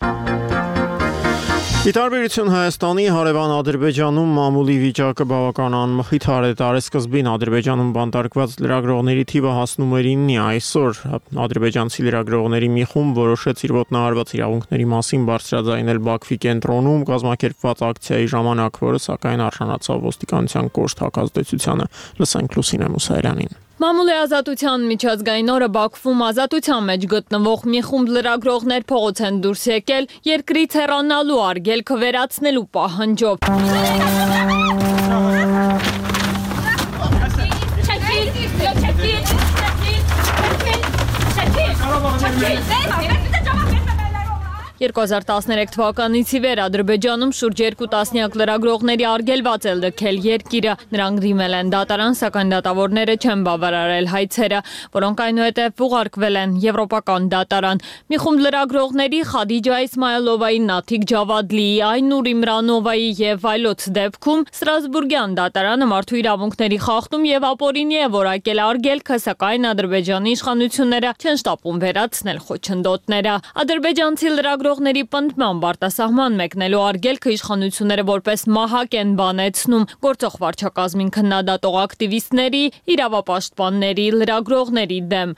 Ի տարբերություն Հայաստանի, հարևան Ադրբեջանում մամուլի վիճակը բավական անմխիթար է։ Տարեսկզբին Ադրբեջանում բանտարկված լրագրողների թիվը հասնում էր 9-ի, այսօր ադրբեջանցի լրագրողների մի խումբ որոշեց իր ոտնահարված իրավունքների մասին բարձրաձայնել Բաքվի կենտրոնում կազմակերպված ակցիայի ժամանակ, որը սակայն արժանացավ ոստիկանության կոշտ հակազդեցությանը։ Լսենք Լուսինե Մուսայելյանին։ Մամուլի ազատության միջազգային օրը Բաքվում ազատության մեջ գտնվող մի խումբ լրագրողներ փողոց են դուրս եկել երկրից հեռանալու արգելքը վերացնելու պահանջով։ Չեքիլ 2013 թվականից ի վեր Ադրբեջանում շուրջ 2 տասնյակ լրագրողների արգելված է լքել երկիրը։ Նրանք դիմել են դատարան, սակայն դատավորները չեն բավարարել հայցերը, որոնք այնուհետև ուղարկվել են Եվրոպական դատարան։ Մի խումբ լրագրողների Խադիջա Իսմայելովայի, Նաթիկ Ջավադլիի, Այնուր Իմրանովայի եւ այլոց դեպքում Ստրասբուրգյան դատարանը մարդու իրավունքների խախտում եւ ապօրինի է որակել արգելքը, սակայն Ադրբեջանի իշխանությունները չեն շտապում վերացնել խոչընդոտները։ Ադրբեջանցի լրագրողների պնդմամբ արտասահման մեկնելու արգելքը իշխանությունները որպես մահակ են բանեցնում գործող վարչակազմին քննադատող ակտիվիստների, իրավապաշտպանների, լրագրողների դեմ։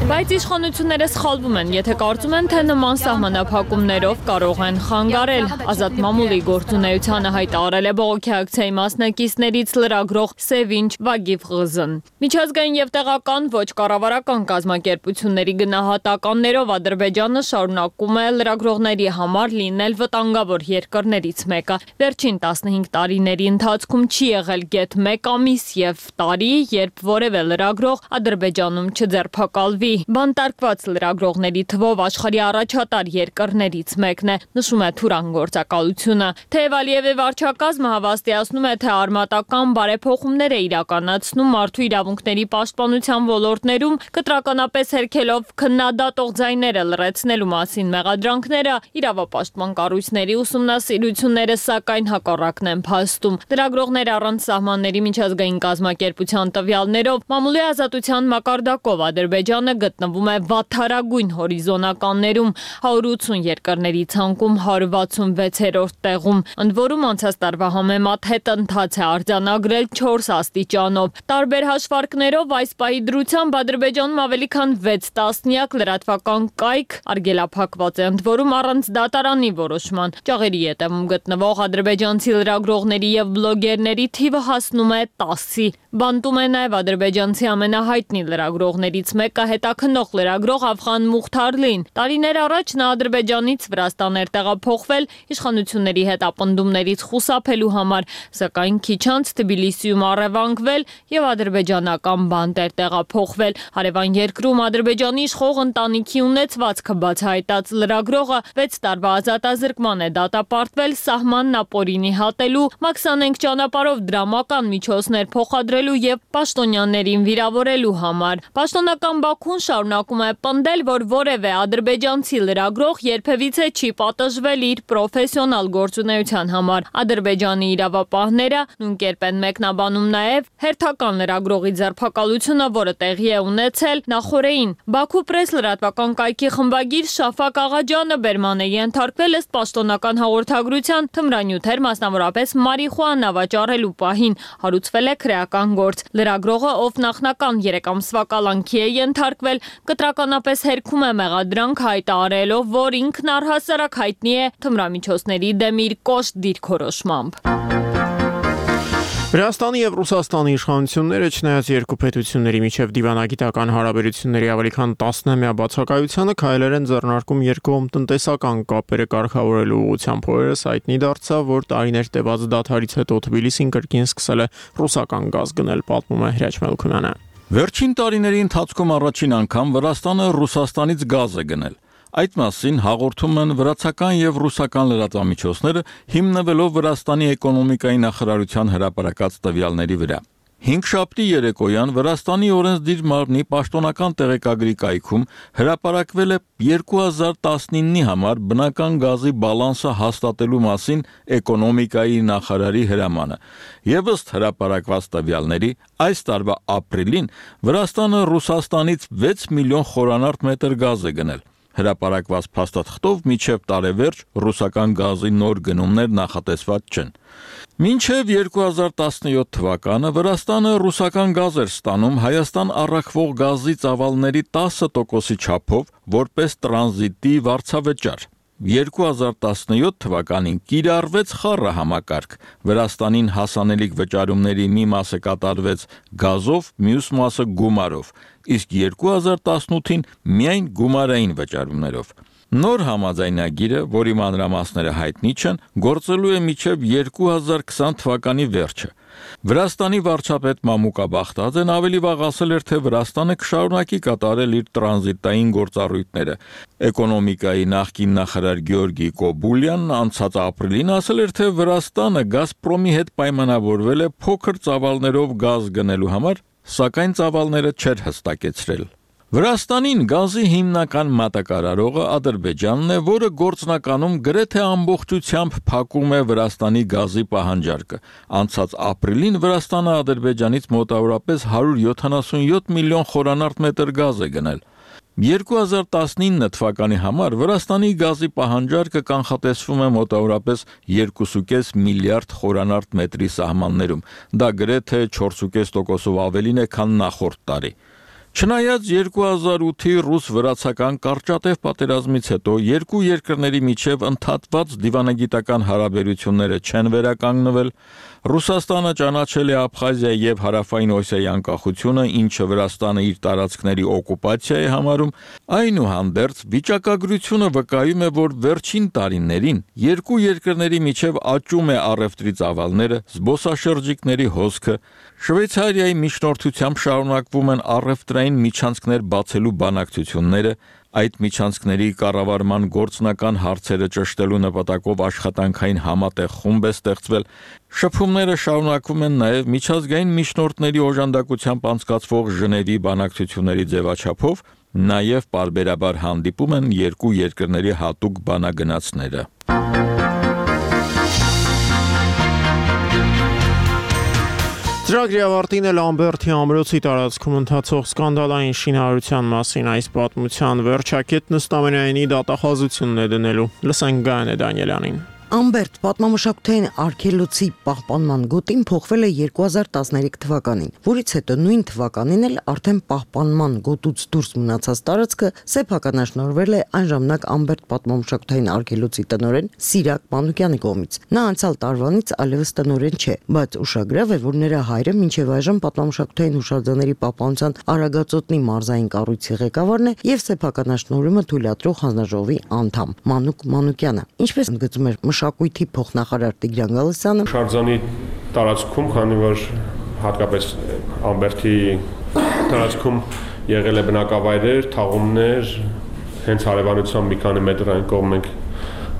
Բայց իշխանությունները սխալվում են, եթե կարծում են, թե նման սահմանափակումներով կարող են խանգարել։ Ազատ մամուլի գործունեությանը հայտարարել է բողոքի ակցիայի մասնակիցներից լրագրող Սևինչ Վագիվղզն։ Միջազգային եւ տեղական ոչ կառավարական կազմակերպությունների գնահատականներով Ադրբեջանը շարունակում է լրագրողների համար լինել վտանգավոր երկրներից մեկը։ Վերջին 15 տարիների ընթացքում չի եղել գեթ 1 ամիս եւ տարի, երբ որևէ լրագրող Ադրբեջանում չձերբակալվի։ Բանտարկված լրագրողների թվով աշխարհի առաջատար երկրներից մեկն է, նշում է Թուրան գործակալությունը։ Թեև Ալիևի վարչակազմը հավաստիացնում է, թե արմատական բարեփոխումներ է իրականացնում մարդու իրավունքների պաշտպանության ոլորտներում, կտրականապես հերքելով քննադատող ձայները լրացնելու մասին մեղադրանքները, իրավապաշտպան կառույցների ուսումնասիրությունները սակայն հակառակն են փաստում։ Լրագրողներ առանց սահմանների միջազգային կազմակերպության տվյալներով մամուլի ազատության մակարդակով Ադրբեջանը գտնվում է վատթարագույն հորիզոնականներում, 180 երկրների ցանկում 166-րդ տեղում։ Ընդ որում անցած տարվա համեմատ հետընթաց է արձանագրել 4 աստիճանով։ Տարբեր հաշվարկներով այս պահի դրությամբ Ադրբեջանում ավելի քան 6 տասնյակ լրատվական կայք արգելափակված է, ընդ որում առանց դատարանի որոշման։ Ճաղերի ետևում գտնվող ադրբեջանցի լրագրողների եւ բլոգերների թիվը հասնում է 10-ի։ Բանտում է նաև ադրբեջանցի ամենահայտնի լրագրողներից մեկը հետաքննող լրագրող Աֆղան Մուխթարլին։ Տարիներ առաջ նա Ադրբեջանից Վրաստան էր տեղափոխվել իշխանությունների հետ ապնդումներից խուսափելու համար, սակայն քիչ անց Թբիլիսիում առևանգվել եւ ադրբեջանական բանտ էր տեղափոխվել։ Հարևան երկրում Ադրբեջանի իշխող ընտանիքի ունեցվածքը բացահայտած լրագրողը 6 տարվա ազատազրկման է դատապարտվել սահմանն ապօրինի հատելու, մաքսանենգ ճանապարհով դրամական միջոցներ փոխադրելու եւ պաշտոնյաներին վիրավորելու համար։ Պաշտոնական Բաքուն շարունակում է պնդել, որ որևէ ադրբեջանցի լրագրող երբևիցե չի պատժվել իր պրոֆեսիոնալ գործունեության համար։ Ադրբեջանի իրավապահները նույն կերպ են մեկնաբանում նաև հերթական լրագրողի ձերբակալությունը, որը տեղի է ունեցել նախորդին։ Բաքու պրես լրատվական կայքի խմբագիր Շաֆակ Աղաջյանը բերման է ենթարկվել ըստ պաշտոնական հաղորդագրության թմրանյութեր, մասնավորապես մարիխուանա վաճառելու պահին հարուցվել է քրեական գործ։ Լրագրողը, ով նախնական 3 ամսվա կալանքի է ենթարկվել, կտրականապես հերքում է մեղադրանք հայտարարելով, որ ինքն առհասարակ հայտնի է թմրամիջոցների դեմ իր կոշտ դիրքորոշմամբ։ Վրաստանի եւ Ռուսաստանի իշխանությունները չնայած երկու պետությունների միջև դիվանագիտական հարաբերությունների ավելի քան 10-ամյա բացակայությանը քայլեր են ձեռնարկում երկկողմ տնտեսական կապերը կարգավորելու ուղղությամբ։ Օրերս հայտնի դարձավ, որ տարիներ տևած դադարից հետո Թբիլիսին կրկին սկսել է ռուսական գազ գնել, պատմում է Հրաչ Մելքումյանը։ Վերջին տարիների ընթացքում առաջին անգամ Վրաստանը Ռուսաստանից գազ է գնել։ Այդ մասին հաղորդում են վրացական եւ ռուսական լրատվամիջոցները, հիմնվելով Վրաստանի էկոնոմիկայի նախարարության հրապարակած տվյալների վրա։ 5 շաբթի երեկոյան Վրաստանի օրենսդիր մարմնի պաշտոնական տեղեկագրի կայքում հրապարակվել է 2019-ի համար բնական գազի բալանսը հաստատելու մասին էկոնոմիկայի նախարարի հրամանը։ Եվ ըստ հրապարակված տվյալների, այս տարվա ապրիլին Վրաստանը Ռուսաստանից 6 միլիոն խորանարդ մետր գազ է գնել։ Հրապարակված փաստաթղթով մինչև տարեվերջ ռուսական գազի նոր գնումներ նախատեսված չեն։ Մինչև 2017 թվականը Վրաստանը ռուսական գազ էր ստանում Հայաստան առաքվող գազի ծավալների 10%-ի չափով որպես տրանզիտի վարձավճար։ 2017 թվականին կիրառվեց խառը համակարգ։ Վրաստանին հասանելիք վճարումների մի մասը կատարվեց գազով, մյուս մասը գումարով, իսկ 2018-ին միայն գումարային վճարումներով։ Նոր համաձայնագիրը, որի մանրամասները հայտնի չեն, գործելու է մինչև 2020 թվականի վերջը։ Վրաստանի վարչապետ Մամուկա Բախտաձեն ավելի վաղ ասել էր, թե Վրաստանը կշարունակի կատարել իր տրանզիտային գործառույթները։ Էկոնոմիկայի նախկին նախարար Գեորգի Կոբուլյանն անցած ապրիլին ասել էր, թե Վրաստանը Գազպրոմի հետ պայմանավորվել է փոքր ծավալներով գազ գնելու համար, սակայն ծավալները չէր հստակեցրել։ Վրաստանին գազի հիմնական մատակարարողը Ադրբեջանն է, որը գործնականում գրեթե ամբողջությամբ փակում է Վրաստանի գազի պահանջարկը։ Անցած ապրիլին Վրաստանը Ադրբեջանից մոտավորապես 177 միլիոն խորանարդ մետր գազ է գնել։ 2019 թվականի համար Վրաստանի գազի պահանջարկը կանխատեսվում է մոտավորապես 2.5 միլիարդ խորանարդ մետրի սահմաններում։ Դա գրեթե 4.5%-ով ավելին է, քան նախորդ տարի։ Չնայած 2008-ի ռուս-վրացական կարճատև պատերազմից հետո երկու երկրների միջև ընդհատված դիվանագիտական հարաբերությունները չեն վերականգնվել, Ռուսաստանը ճանաչել է Աբխազիա եւ Հարավային Օսիայի անկախությունը, ինչը Վրաստանը իր տարածքների օկուպացիա է համարում, այնուհանդերձ վիճակագրությունը վկայում է, որ վերջին տարիներին երկու երկրների միջև աճում է առևտրի ծավալները, զբոսաշրջիկների հոսքը, Շվեյցարիայի միջնորդությամբ շարունակվում են առևտրային միջանցքներ բացելու բանակցությունները, այդ միջանցքների կառավարման գործնական հարցերը ճշտելու նպատակով աշխատանքային համատեղ խումբ է ստեղծվել։ Շփումները շարունակվում են նաև միջազգային միջնորդների օժանդակությամբ անցկացվող Ժնևի բանակցությունների ձևաչափով, նաև պարբերաբար հանդիպում են երկու երկրների հատուկ բանագնացները։ Ծրագրի ավարտին է Լամբերտի ամրոցի տարածքում ընթացող սկանդալային շինարարության մասին այս պատմության վերջակետն ըստ ամենայնի դատախազությունն է դնելու։ Լսենք Գայանե Դանիելյանին։ Ամբերտ պատմամշակութային արգելոցի պահպանման գոտին փոխվել է 2013 թվականին, որից հետո նույն թվականին էլ արդեն պահպանման գոտուց դուրս մնացած տարածքը սեփականաշնորհվել է այն ժամանակ Ամբերտ պատմամշակութային արգելոցի տնօրեն Սիրակ Մանուկյանի կողմից։ Նա անցյալ տարվանից այլևս տնօրեն չէ, բայց ուշագրավ է, որ նրա հայրը մինչև այժմ պատմամշակութային հուշարձանների պահպանության Արագածոտնի մարզային կառույցի ղեկավարն է եւ սեփականաշնորհումը թույլատրող հանձնաժողովի անդամ Մանուկ Մանուկյանը։ Ինչպես ընդգծում էր մշակույթի փոխնախարար Տիգրան Գալստյանը, հուշարձանի տարածքում, քանի որ հատկապես Ամբերտի տարածքում եղել է բնակավայրեր, թաղումներ, հենց հարևանությամբ մի քանի մետր այն կողմ մենք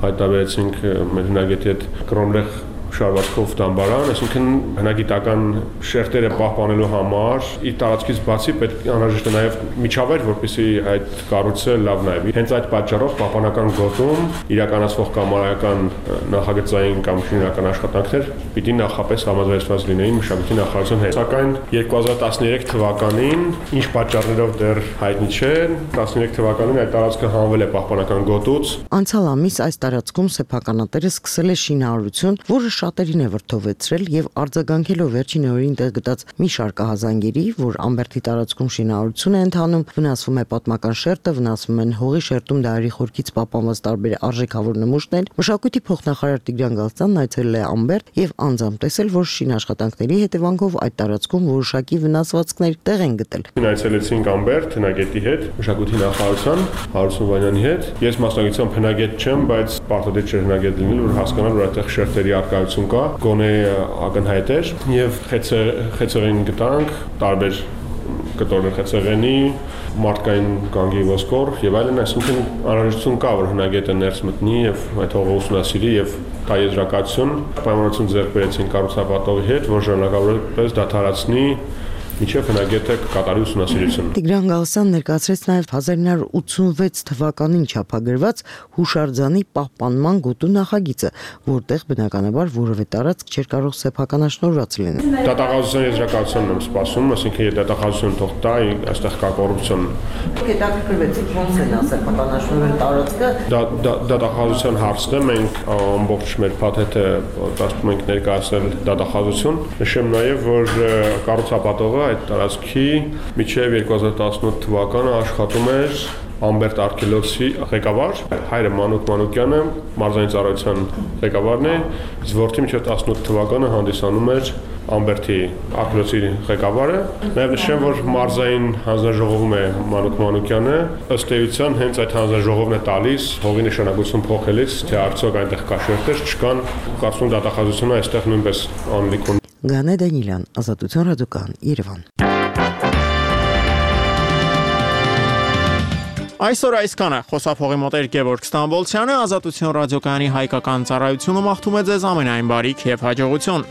հայտնաբերեցինք մեր հնագետի հետ կրոնլեղ շարվածքով դամբարան, այսինքն հնագիտական շերտերը պահպանելու համար իր տարածքից բացի պետք է անհրաժեշտ է նաև միջավայր, որպեսզի այդ կառույցը լավ նայվի։ Հենց այդ պատճառով պահպանական գոտում իրականացվող կամարական նախագծային կամ շինարական աշխատանքներ պիտի նախապես համաձայնված լինեին մշակույթի նախարարության հետ։ Սակայն 2013 թվականին ինչ պատճառներով դեռ հայտնի չէ, 13 թվականին այդ տարածքը հանվել է պահպանական գոտուց։ Անցյալ ամիս այս տարածքում սեփականատերը սկսել է շինարարություն, որը շատերին է վրդովեցրել եւ արձագանքելով վերջին օրերին տեղ գտած մի շարք ահազանգերի, որ Ամբերտի տարածքում շինարարություն է ընթանում, վնասվում է պատմական շերտը, վնասվում են հողի շերտում դարերի խորքից պահպանված տարբեր արժեքավոր նմուշներ, մշակույթի փոխնախարար Տիգրան Գալստյանն այցելել է Ամբերտ եւ անձամբ տեսել, որ շինաշխատանքների հետևանքով այդ տարածքում որոշակի վնասվածքներ տեղ են գտել։ Այցելեցինք Ամբերտ հնագետի հետ, մշակույթի նախարարության Հարություն Վանյանի հետ։ Ես մասնագիտությամբ հնագետ չեմ, բայց պարտադիր չէ հնագետ լինել, որ հասկանալ, որ այդտեղ շերտերի արկայություն կա, գոնե ակնհայտ էր եւ խեցեղեն գտանք, տարբեր կտորներ խեցեղենի, մարդկային գանգի ոսկոր եւ այլն, այսինքն անհրաժեշտություն կա, որ հնագետը ներս մտնի եւ այդ հողը ուսումնասիրի եւ տա եզրակացություն, պայմանություն ձեռք բերեցին կառուցապատողի հետ, որ ժամանակավորապես դադարեցնի միջև հնագետը կատարի ուսումնասիրություն։ Տիգրան Գալստյանն ներկայացրեց նաև 1986 թվականին չափագրված հուշարձանի պահպանման գոտու նախագիծը, որտեղ բնականաբար որևէ տարածք չէր կարող սեփականաշնորհված լինել։ Դատախազության եզրակացությունն եմ սպասում, այսինքն եթե դատախազությունը թող տա, այստեղ կա կոռուպցիոն։ Հետաքրքրվեցիք ոնց է նա սեփականաշնորհել տարածքը։ Դատախազության հարցն է, մենք ամբողջ մեր փաթեթը ասում ենք ներկայացնել դատախազություն։ Նշեմ նաև, որ կառուցապատողը այդ տարածքի միջև 2018 թվականը աշխատում էր Ամբերտ արգելոցի ղեկավար, հայրը Մանուկ Մանուկյանը մարզային ծառայության ղեկավարն է, իսկ որդի միջև 18 թվականը հանդիսանում էր Ամբերտի արգելոցի ղեկավարը։ Նաև նշեմ, որ մարզային հանձնաժողովում է Մանուկ Մանուկյանը, ըստ էության հենց այդ հանձնաժողովն է տալիս հողի նշանակություն փոխելիս, թե արդյոք այնտեղ կա շերտեր, չկան, կարծում դատախազությունը այստեղ նույնպես անելիք ունի։ Գանե Դանիելյան, Ազատություն ռադիոկայան, Երևան։ Այսօր այսքանը խոսափողի մոտ էր Գևորգ Ստամբոլցյանը, Ազատություն ռադիոկայանի հայկական ծառայությունը մաղթում է ձեզ ամենայն բարիք եւ հաջողություն։